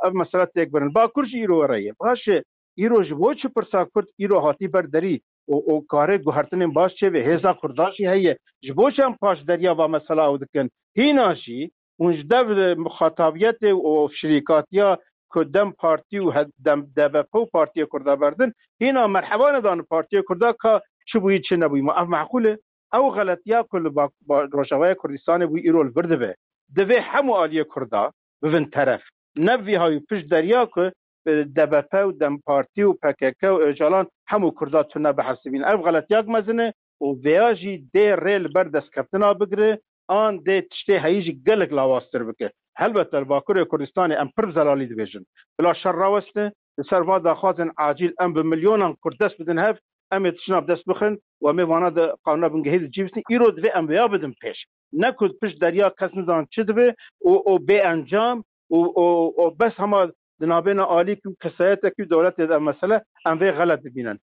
ev mesele têk birin. Bakur jî îro were ye. Baş e, îro ji bo çi pirsa Kurd îro hatî ber derî û, û kare guhertinên baş çêbe? Hêza Kurda jî heye. Ji bo çi em paş deriya va mesela ew dikin? Hîna jî hûn ji dev muxatabiyetê û şirîkatiya ku DEM Partî û he-, DEM, D B P û Partiyê Kurda berdin, hîna merheba nedane Partiyê Kurda ka çi bûyî, çi nebûyî. Ma ev meqûl e? Ew xeletiya ku li ba-, ba-, Rojavayê Kurdistanê bûyî îro li vir dibe. Divê hemû aliyê Kurda bibin teref. Ne vî hawî pişt deriya ku, e, D B P û DEM Partî û P K K û Ocalan hemû Kurda tune bihesibîn. Ev xeletiyak mezin e û vêya jî dê rê li ber destkeftina bigire, an dê tiştê heyî jî gelek lawaztir bike. Helbet li Bakurê Kurdistanê em pir bi zelalî dibêjin. Bila şer raweste, li ser va daxwazên acîl em bi milyonan Kurd dest bidin hev, em ê tiştna bi dest bixin û em ê vana di qanûna bingehî de cî bisin. Îro divê em vêya bidin pêş. Ne ku pişt deriya kes nizan çi dibe û, û bê encam û, û, û bes hema di navbêna alîk û kesayetekî û dewletê de ev mesele em vê xelet dibînin.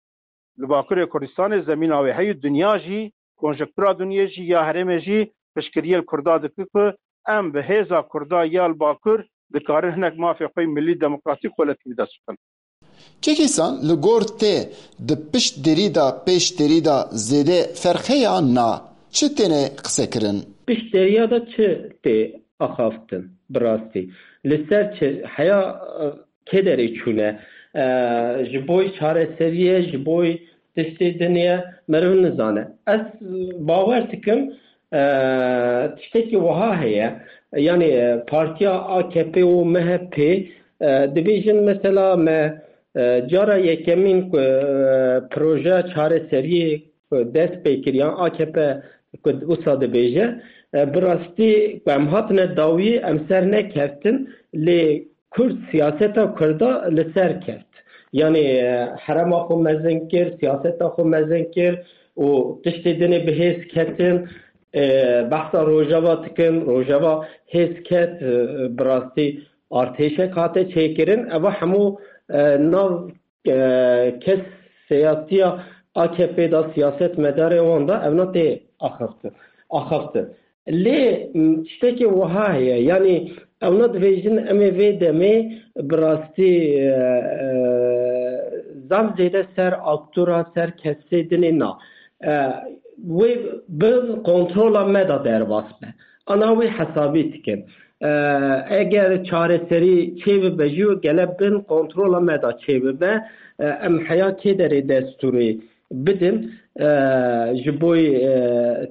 Li Bakurê Kurdistanê zemîna wê heye, dinya jî, konjektura dinyê jî, ya herêmê jî piştgiriyê li Kurda dike ku em bi hêza Kurda ya li Bakur dikarin hinek mafê xwe yê milî demokratîk xwe li dest bixin. Kek Îhsan, li gor te di pişt derî de pêş derî de zêde ferq heye an na? Çi têne qisekirin? Pişt deriya de çi tê axaftin bi rastî? Li ser çi heya, e, kê derê çûne? E, ji bo çareseriyê, ji bo tiştê din e, meriv nizane. Ez bawer dikim, e, tiştekî wiha heye. Yanî, e, partiya A K P û M H P, e, dibêjin mesela me, e, cara yekemîn ku, e, projeya çareseriyê ku dest pê kiriyan A K P ku wisa dibêje, e, bi rastî ku em hatine dawî em ser nekeftin, lê Kurd siyaseta Kurda li ser keft. Yanî, e, herema xwe mezin kir, siyaseta xwe mezin kir û tiştê dinê bi hêz ketin, e, behsa Rojava dikin, Rojava hêz ket, e, bi rastî artêşek hate çêkirin. Eva hemû, e, nav, e, kes siyasiya A K P da, siyaset medarê wan da, evna tê axaftin. Axaftin. Lê, m, tiştekî wiha heye, yanî ewna dibêjin, em ê vê demê bi rastî, e, e, zaf zêde ser aktora, ser kesê dinê na. E, wê bin kontrola me da derbas be. Ana wê hesabî dikin. E, eger çareserî çêbibe jî, gele bin kontrola me da çêbibe. E, em heya kê derê destûrê bidin, e, ji boy, e,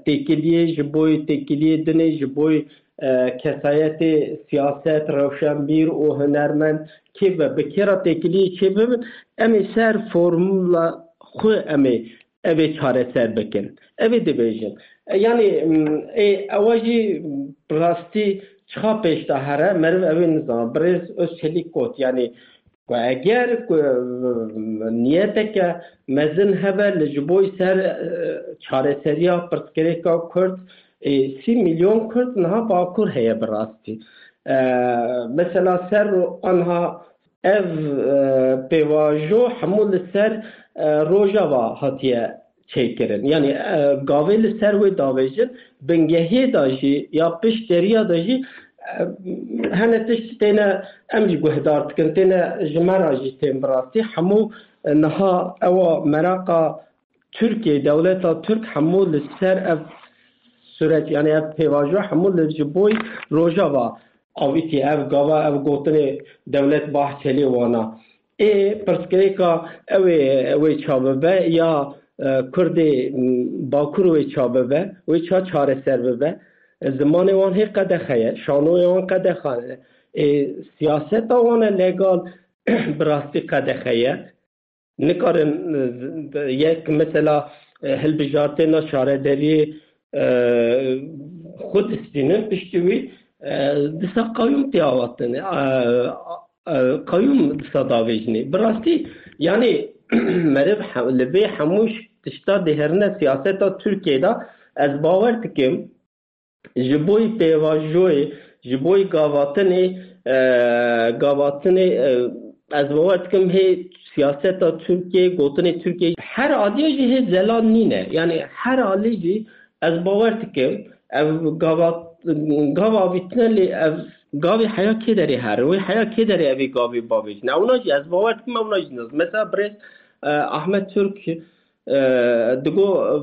têkiliyê, ji boy têkiliyê dinê, ji boy, e, kesayetê siyaset, rewşenbîr û hunermend kê be, bi kê re têkiliyê çêbibin, em ê ser formula xwe em ê ev ê çareser bikin. Ev ê dibêjin. E, yanî, m, ê, ewa jî rastî çiqa pêş de here, meriv ew ê nizana. Birêz Özçelik got, yanî, ku eger ku, e, niyeteke mezin hebe li ji boy ser, e, çareseriya pirsgirêka Kurd, e, sî milyon Kurd niha Bakur heye bi rastî. E, mesela ser ro-, anha ev, e, pêvajo hemû li ser, e, Rojava hatiye çêkirin. Yanî, e, gavê li ser wê davêjin, bingehiyê de jî ya pişt deriya de jî, e, hene tişt têne, em jî guhdar dikin, têne ji me re jî tên bi rastî. Hemû, e, niha ewa meraqa Tirkiye, dewleta Tirk hemû li ser ev süreç, yanî ev pêvajo hemû li ji boy Rojava avîtî. Ev gava, ev gotinê Dewlet Bahçelî wana. Ê pirsgirêka ew ê, ew ê ça bibe ya, e, Kurdê, m, Bakur wê ça bibe, wê ça çareser bibe. E, zimanê wan hê qedexe ye, şanoyê wan qedexe ye. Ê siyaseta wan e legal bi rastî qedexe ye. Nikarin, e, yek mesela, e, hilbijartêna şaredariyê, e, xwe distînin, piştî wî, e, disa qayûm tê avatin. E, e, qayûm disa davêjinê. Bi rastî, yanî meriv he-, li vê hemû ş-, tişta dihêrine siyaseta Tirkiyê de, ez bawer dikim, ji boy pêvajoyê, ji boy gavatinê, e, gavatinê, e, ez bawer dikim hê siyaseta Tirkiyê, gotinê Tirkiyê her aliyê jî hê zelal nîne. Yanî her alî jî ez bawer dikim ev gava, gava avîtine lê ev gavê heya kê derê here, wê heya kê derê evê gavê bavêjine. Ewna jî ez bawer dikim ewna jî nas. Mesela birêz, e, Ahmet Türk, e, digo, e,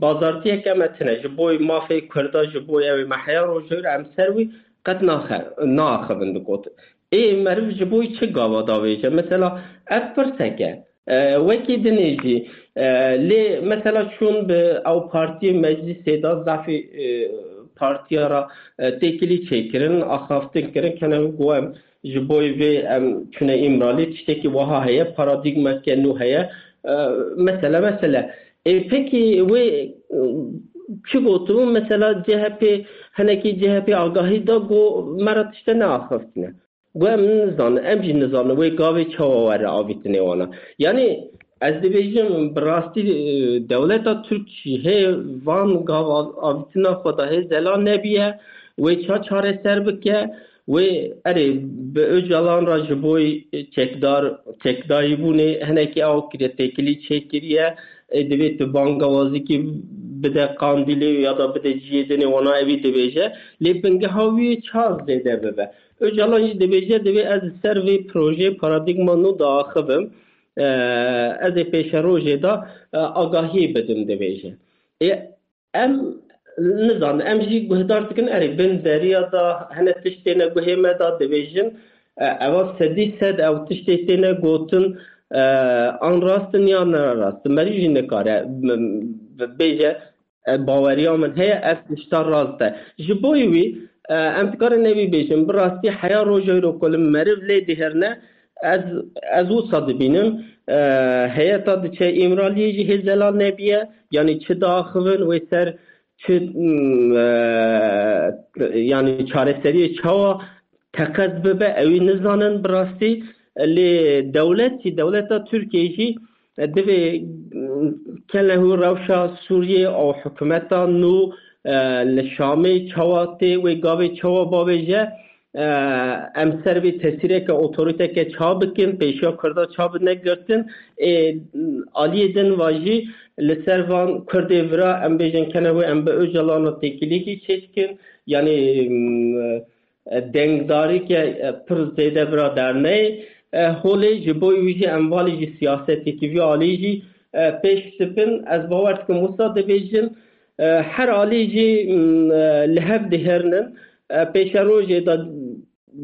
bazartiyeke me tine ji boy mafê Kurda, ji boy ew ê me heya rojhewr em ser wî qet naxe-, naaxivin dikot. Ê meriv ji boy çi gava davêje? Mesela ev pirseke. E, wekî dinê jî, e, lê mesela çûn bi ew partiyê meclîsê de zafî, e, partiya re, e, têkilî çêkirin, axaftin kirin, kene got em ji boy vê em çûne Îmralî, tiştekî wiha heye, paradîgmeke nû heye. E, mesele, mesele. Ê, pekî wê, e, çi gotibû? Mesela C H P, hinekî C H P agahî da, got me re tişte neaxiftine. Got em nizanin, em jî nizanin wê gavê çawa were avîtinê wana. Yanî ez dibêjim, bi rastî, e, dewleta Tirk jî hê van gav av-, avîtina xwe de hê zelal nebiye, wê ça çareser bike, wê erê bi Ocalan re ji boy çekdar, çekdayîbûnê hinekî ew kiriye, têkilî çêkiriye, e, divê tu bangawazîkî bide Qandîlê ya da bide cihê dinê wana evî dibêje, lê bingeha wî ça zêde bibe. Ocalan jî dibêje, divê ez li ser vê projeyê paradîgma nû diaxivim, e, ez ê pêşerojê de, e, agahiyê bidim, dibêje. Ê, em nizanin, em jî guhdar dikin, erê bin deriya de hene tişt têne guhê me de dibêjin, e, eva sedî sed ew tiştê têne gotin, e, an rast in ya ne rast in. Merî jî nikare, m-, m-, bêje, e, baweriya min heye, ev tişta rast e. Ji boyî wî, e, em dikarin evî bêjin, bi rastî heya roja îro ku li meriv lê dihêrine, ez, ez wisa dibînim, e, heyeta diçe Îmraliyê jî hê zelal nebiye, yanî çi diaxivin wê ser, çi, m, e, yanî çareseriyê çawa teqez bibe, ewî nizanin bi rastî. Lê dewletî, dewleta Tirkiyê jî divê, mm, kene hû rewşa Sûriyê û hikûmeta nû, e, li Şamê çawa tê, wê gavê çawa bavêje, e, em ser vê tesîreke otorîteke ça bikin, pêşiya Kurda ça bine girtin. Ê, aliyê din va jî li ser van Kurdê vira em bêjin kene hû em bi Ocalan re têkilîkî çêdikin. Yanî, mm, e, dengdarîke, e, pir zêde vira derneyê. E, holê ji bo wî jî em valî jî siyasetekî vî alî jî, e, pêş dibin. Ez bawer dikim wisa dibêjin, e, her alî jî, m, e, li hev dihêrinin. E, pêşerojê de,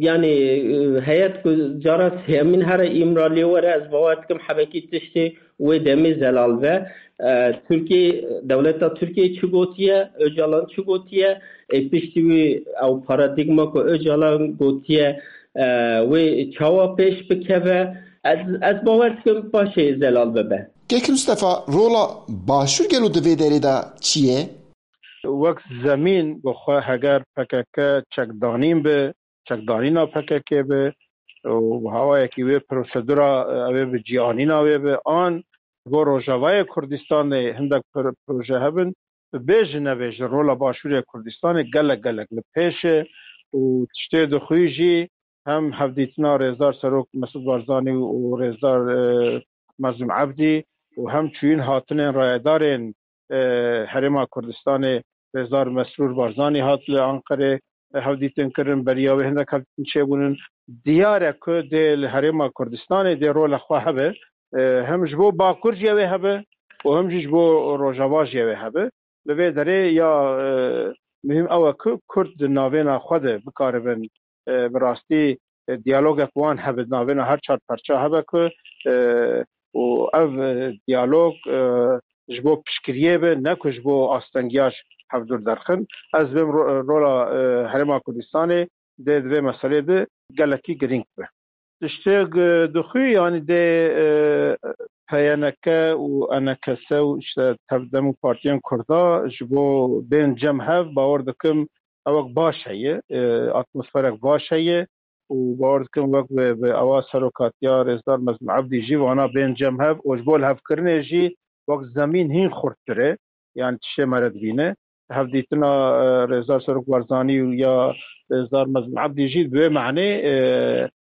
yanî, e, heyet ku cara sêyemîn here Îmraliyê were, ez bawer dikim hebekî tiştê wê demê zelal be. E, Tirkiye, dewleta Tirkiye çi gotiye, Ocalan çi gotiye, ê piştî wî ew paradîgma ku Ocalan gotiye, e, wê çawa pêş bikeve, ez, ez bawer dikim paşê zelal bibe. Kek Mustafa, rola Başûr gelo di vê derê de çi ye? Wek zemîn bi xwe heger P K K çekdanîn bi, çekdanîna P K K bi û bi hawayekî wê prosedura, e, ew ê bi cîhanîna wê bi an ji bo Rojavayê Kurdistanê hindek pro-, proje hebin, bêjin nebêjin rola Başûrê Kurdistanê gelek gelek li pêş e û tiştê dixwî jî hem hevdîtina Rêzdar Serok Mesûd Barzanî û Rêzdar, e, Mezlûm Ebdî û hem çûyîn hatinên rayedarên, e, Herêma Kurdistanê, Rêzdar Mesrûr Barzanî hat li Anqerê, e, hevdîtin kirin, beriya wê hindek hevdîtin çêbûnin. Diyar e ku dê li Herêma Kurdistanê dê rola xwe hebe, e, hem ji bo Bakur jî ew ê hebe û hem jî ji bo Rojava jî ew ê hebe. Li vê derê ya, e, muhîm ew e ku Kurd di navêna xwe de bikaribin, e, bi rastî, e, diyalogek wan hebe, di navêna her çar perça hebe ku, e, û ev, e, diyalog, e, ji bo piştgiriyê be, ne ku ji bo astengiya ji hevdûr derxin. Ez dibêm ro-, rola, e, Herêma Kurdistanê dê di vê meselê de gelekî girîng be. Tiştê, e, dixwî, yanî dê, e, P Y N K û E N K S û işte Tevdem û partiyên Kurda ji bo bên cem hev, bawer dikim ewek baş heye, e, atmosferek baş heye û bawer dikim wek bi, bi ewa serokatiya Rêzdar Mezlûm Ebdî jî vana bên cem hev û ji bo lihevkirinê jî wek zemîn hîn xurttir e, yanî tiştê me re dibîne. Hevdîtina, e, Rêzdar Serok Barzanî û ya Rêzdar Mezlûm Ebdî jî bi wê manê, e,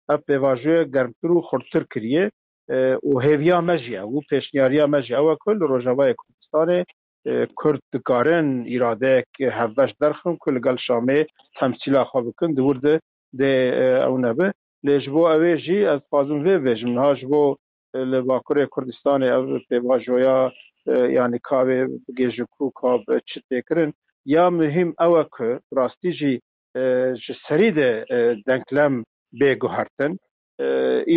ev pêvajoya germtir û xurttir kiriye, e, û hêviya me jî ew û pêşniyariya me jî ew e ku li Rojavayê Kurdistanê, e, Kurd dikarin îradeyek hevbeş derxin ku li gel Şamê temsîla xwe bikin, di wir de dê, e, ew nebe. Lê ji bo ew ê jî ez dixwazim vê bêjim, niha ji bo, e, li Bakurê Kurdistanê ev pêvajoya, e, yanî ka wê bigihêje ku ka bi çi tê kirin. Ya muhîm ew e ku rastî jî, e, ji serî de, e, denklem bê guhertin. E,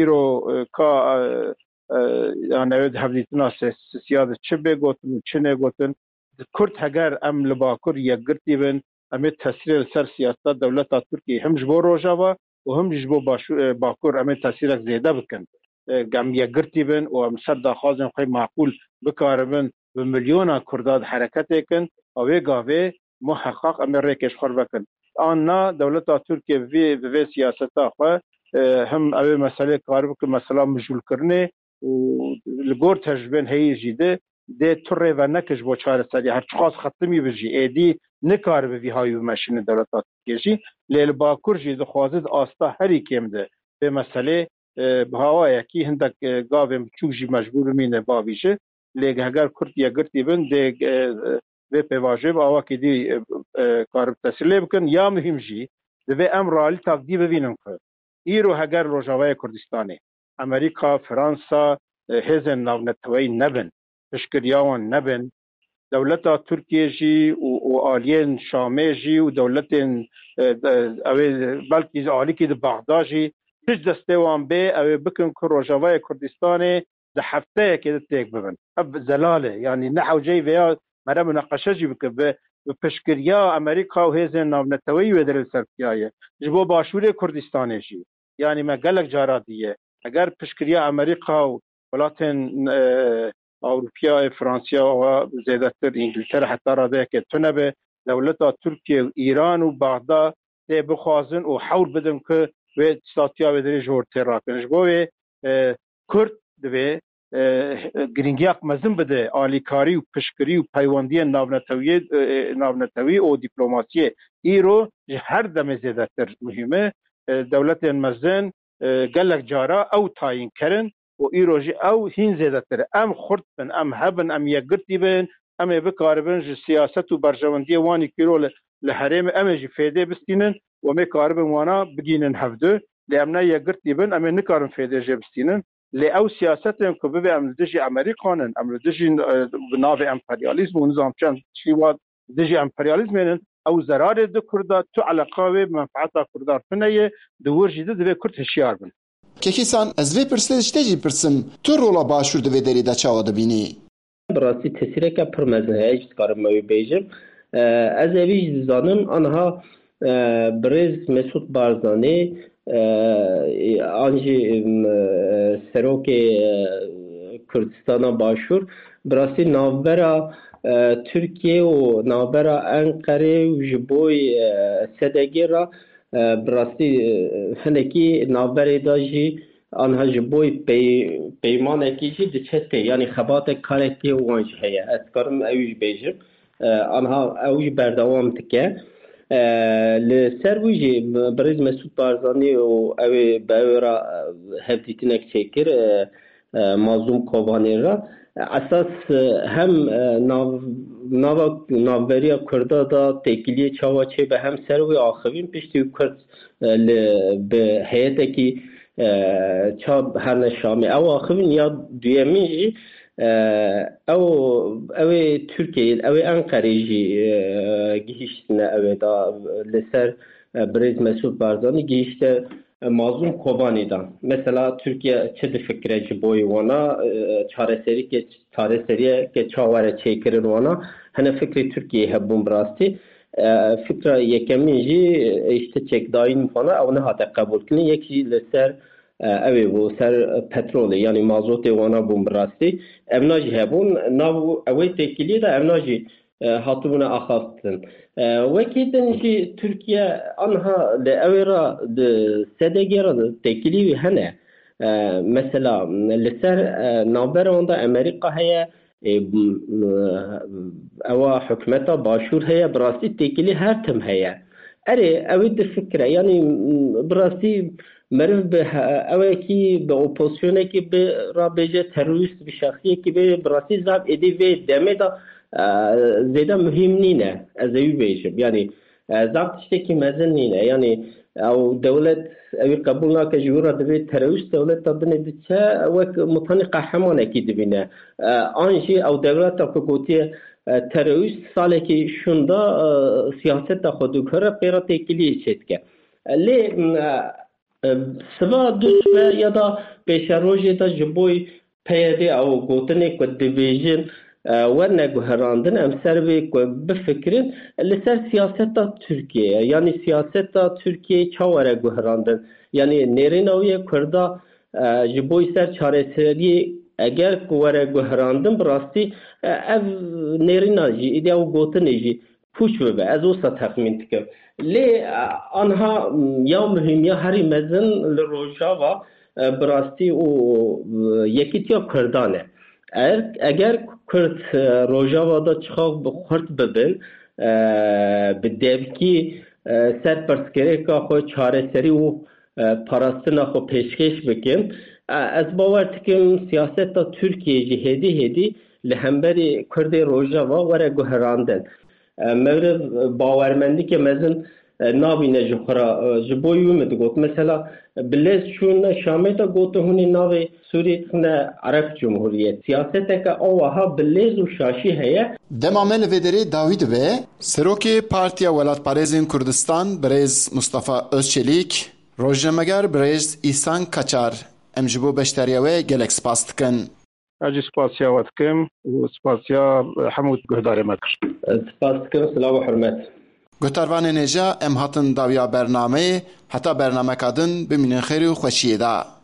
îro, e, ka, e, e, yanî ew di hevdîtina sê-, sisiya de çi bê gotin û çi nê gotin. Kurd heger em li Bakur yekgirtî bin, em ê tesîrê li ser siyaseta dewleta Tirkiyê him ji bo Rojava û him jî ji bo Başû-, e, Bakur em ê tesîrek zêde bikin. E, em yekgirtî bin û em ser daxwazên xwe maqûl bikaribin bi milyona Kurda di hereketê kin, a wê gavê muheqaq em ê rêkê ji xwe vekin. An na dewleta Tirkiye bi vê, bi vê siyaseta xwe, e, him ew ê meselê karibike mesela mijûlkirinê û li gor tecrûbên heyî jî de dê tu rê veneke ji bo çareseriyê. Her çiqas xetimî bi jî êdî nikaribe vî hawî bimeşîne dewleta Tirkiye jî. Lê li Bakur jî dixwaze di asta herî kêm de vê meselê, e, bi hawayekî hindek, e, gavên biçûk jî mecbûr bimîne bavîje. Lê heger Kurd yekgirtî bin, dê, e, vê pêvajoyê bi awakî dî, e, e, karib tesîr lê bikin. Ya muhîm jî, divê em realîtak dî bibînin ku îro heger Rojavayê Kurdistanê, Amerîka, Fransa, e, hêzên navneteweyî nebin, piştgiriya wan nebin, dewleta Tirkiye jî û, û aliyên Şamê jî û dewletên, e, de, ew ê belkî alîkî di Bexda jî tişt destê wan bê, ew ê bikin ku Rojavayê Kurdistanê di hefteyekê de têk bibin. Ev zelal e. Yanî ne hewceyî vêya mere munaqeşe jî bike. Bi, bi piştgiriya Amerîka û hêzên navneteweyî wê derê li ser tiyaye. Ji bo Başûrê Kurdistanê jî. Yanî me gelek cara diye. Eger piştgiriya Amerîka û welatên, e, Ewropiya, e, Fransiya, wa zêdetir Îngiltere heta radeyeke tune be, dewleta Tirkiye û Îran û Baxda lê bixwazin û hewl bidin ku wê statuya wê dirê ji hor tê rakin. Ji bo wê, e, Kurd divê, e, girîngiyek mezin bide alîkarî û piştgirî û peywendiyên navnetewiyê, e, e, navnetewî û dîplomasiyê. Îro ji her demê zêdetir muhîm e. E, dewletên mezin, e, gelek cara ew tayîn kirin û îro jî ew hîn zêdetir e. Em xurt bin, em hebin, em yekgirtî bin, em ê bikaribin ji siyaset û berjewendiyê wan ê kîro li, li herêmê em ê jî fêdê bistînin û em ê karibin wana bigînin hevdu. Lê em ne yekgirtî bin, em ê nikarin fêdê jê bistînin. Lê ew siyasetên ku bibê em li dijî Amerîkan in, em li dijî, e, bi navê emperyalîzm û nizam çend tiştî wa dijî emperyalîzmê in, ew zerarê di Kurda, tu eleqa wê bi menfeeta Kurdan tune ye, di wir jî di divê Kurd hişyar bin. Kekîsan, ez vê pirsê ji te jî pirsim, tu rola Başûr di vê derê de çawa dibînî? Bi rastî tesîreke pir mezin heye, ez dikarim me wê bêjim. E, ez evî jî dizanim, aniha, e, birêz Mesûd Barzanî, e, an jî, e, serokê, e, Kurdistana Başûr, bi rastî navbera, e, Tirkiye û navbera Enqerê û ji bo, e, S D G re, e, bi rastî, e, hinekî navberê de jî aniha ji bo pey-, peymanekî jî diçe tê, yanî xebatek karekê wan jî heye. Ez dikarim ew jî bêjim. E, aniha ew jî berdewam dike. E, li ser wî jî birêz Mesûd Barzanî û ew ê bi ew re, e, hevdîtinek çêkir, e, e, Mazlûm Kobanê re. Esas, e, hem, e, nav-, nava, navberiya Kurda da têkiliyê çawa çêbe hem ser wê axivîn piştî Kurd, e, li, bi heyetekî, e, ça herne Şamê. Ew axivîn ya duyemîn jî, e, ew, ew ê Tirkiyeyê, ew ê Enqerê jî, e, gihîştine ew ê da li ser, e, birêz Mesûd Barzanî gihîşte, e, Mazlûm Kobanî da. Mesela Tirkiye çi difikire ji boyê wana, e, çareserîke-, çareseriyeke çawa re çêkirin wana? Hene fikrê Tirkiyeyê hebûn bi rastî. E, fikra yekemîn jî, e, işte çekdayîn wana ew nehate qebûlkirin. Yek jî li ser, e, ew ê bû, ser petrolê, yanî mazotê wana bûn bi rastî. Evna jî hebûn. Nav ew ê têkiliyê de evna jî e, hatibûne axaftin. E, wekî din jî Tirkiye anha li ew ê re di S D G re têkilî wî hene. E, mesela li ser, e, navbera wan de Amerîka heye, e, m-, ewa hikûmeta Başûr heye, bi rastî têkilî her tim heye. Erê, ew ê difikire, yanî, m-, bi rastî meriv bi he-, ewekî bi opozisyonekî bi rabêje terorîst bi şexsiyekî bê bi rastî zaf êdî vê demê de, e, zêde muhîm nîne. Ez ê wî bêjim. Yanî, e, zaf tiştekî mezin nîne. Yanî ew dewlet ewî qebûl nake ji wî re divê terorîst dewleta dinê diçe wek mutanî qehremanekî dibîne. E, an jî ew dewleta ku gotiye, e, terorîst salekî şûnda, e, siyaseta xwe diguhere pê re têkiliyê çêdike. Lê, e, e, siva duşme ya da pêşerojê de ji bo P Y D ew gotinê ku dibêjin, e, werne guherandin, em ser vê ku bifikirin, li ser siyaseta Tirkiyeyê, yanî siyaseta Tirkiyeyê ça were guherandin? Yanî nêrîna wî ye Kurda, e, ji bo ser çareseriyê eger ku were guherandin, bi rastî, e, ev nêrîna jî, îdî ew gotinê jî pûç bibe. Ez wisa texmîn dikim. Lê, e, anha, m, ya muhîm ya herî mezin li Rojava, e, bi rastî û, e, yekîtiya Kurdan e. Eger, eger Kurd, e, Rojava de çixa bi xurt bibin, e, bi devkî, e, ser pirsgirêka xwe çareserî û, e, parastina xwe pêşkêş bikin, e, ez bawer dikim siyaseta Tirkiyeyê jî hêdî hêdî li hemberî Kurdê Rojava were guherandin. E, meriv, e, bawermendîke mezin, e, nabîne ji xwe re. E, ji bo wî min digot. Mesela, e, bi lez çûne Şamê de gotin hûn ê navê Sûriyê dixine Ereb Cumhuriyet. Siyaseteke awaha bi lez û şaşî heye. Dema me li vê derê dawî dibe. Serokê Partiya Welatparêzên Kurdistan, birêz Mustafa Özçelîk, rojnameger birêz Îhsan Kaçar, em ji bo beşdariya we gelek spas dikin. Ez jî spasiya we dikim û spasiya hemû guhdarê me kir. Spas dikim, silav û hurmet. Guhdarvanên hêja, em hatin dawiya bernameyê, heta bernameka din bimînin xêr û xweşiyê de.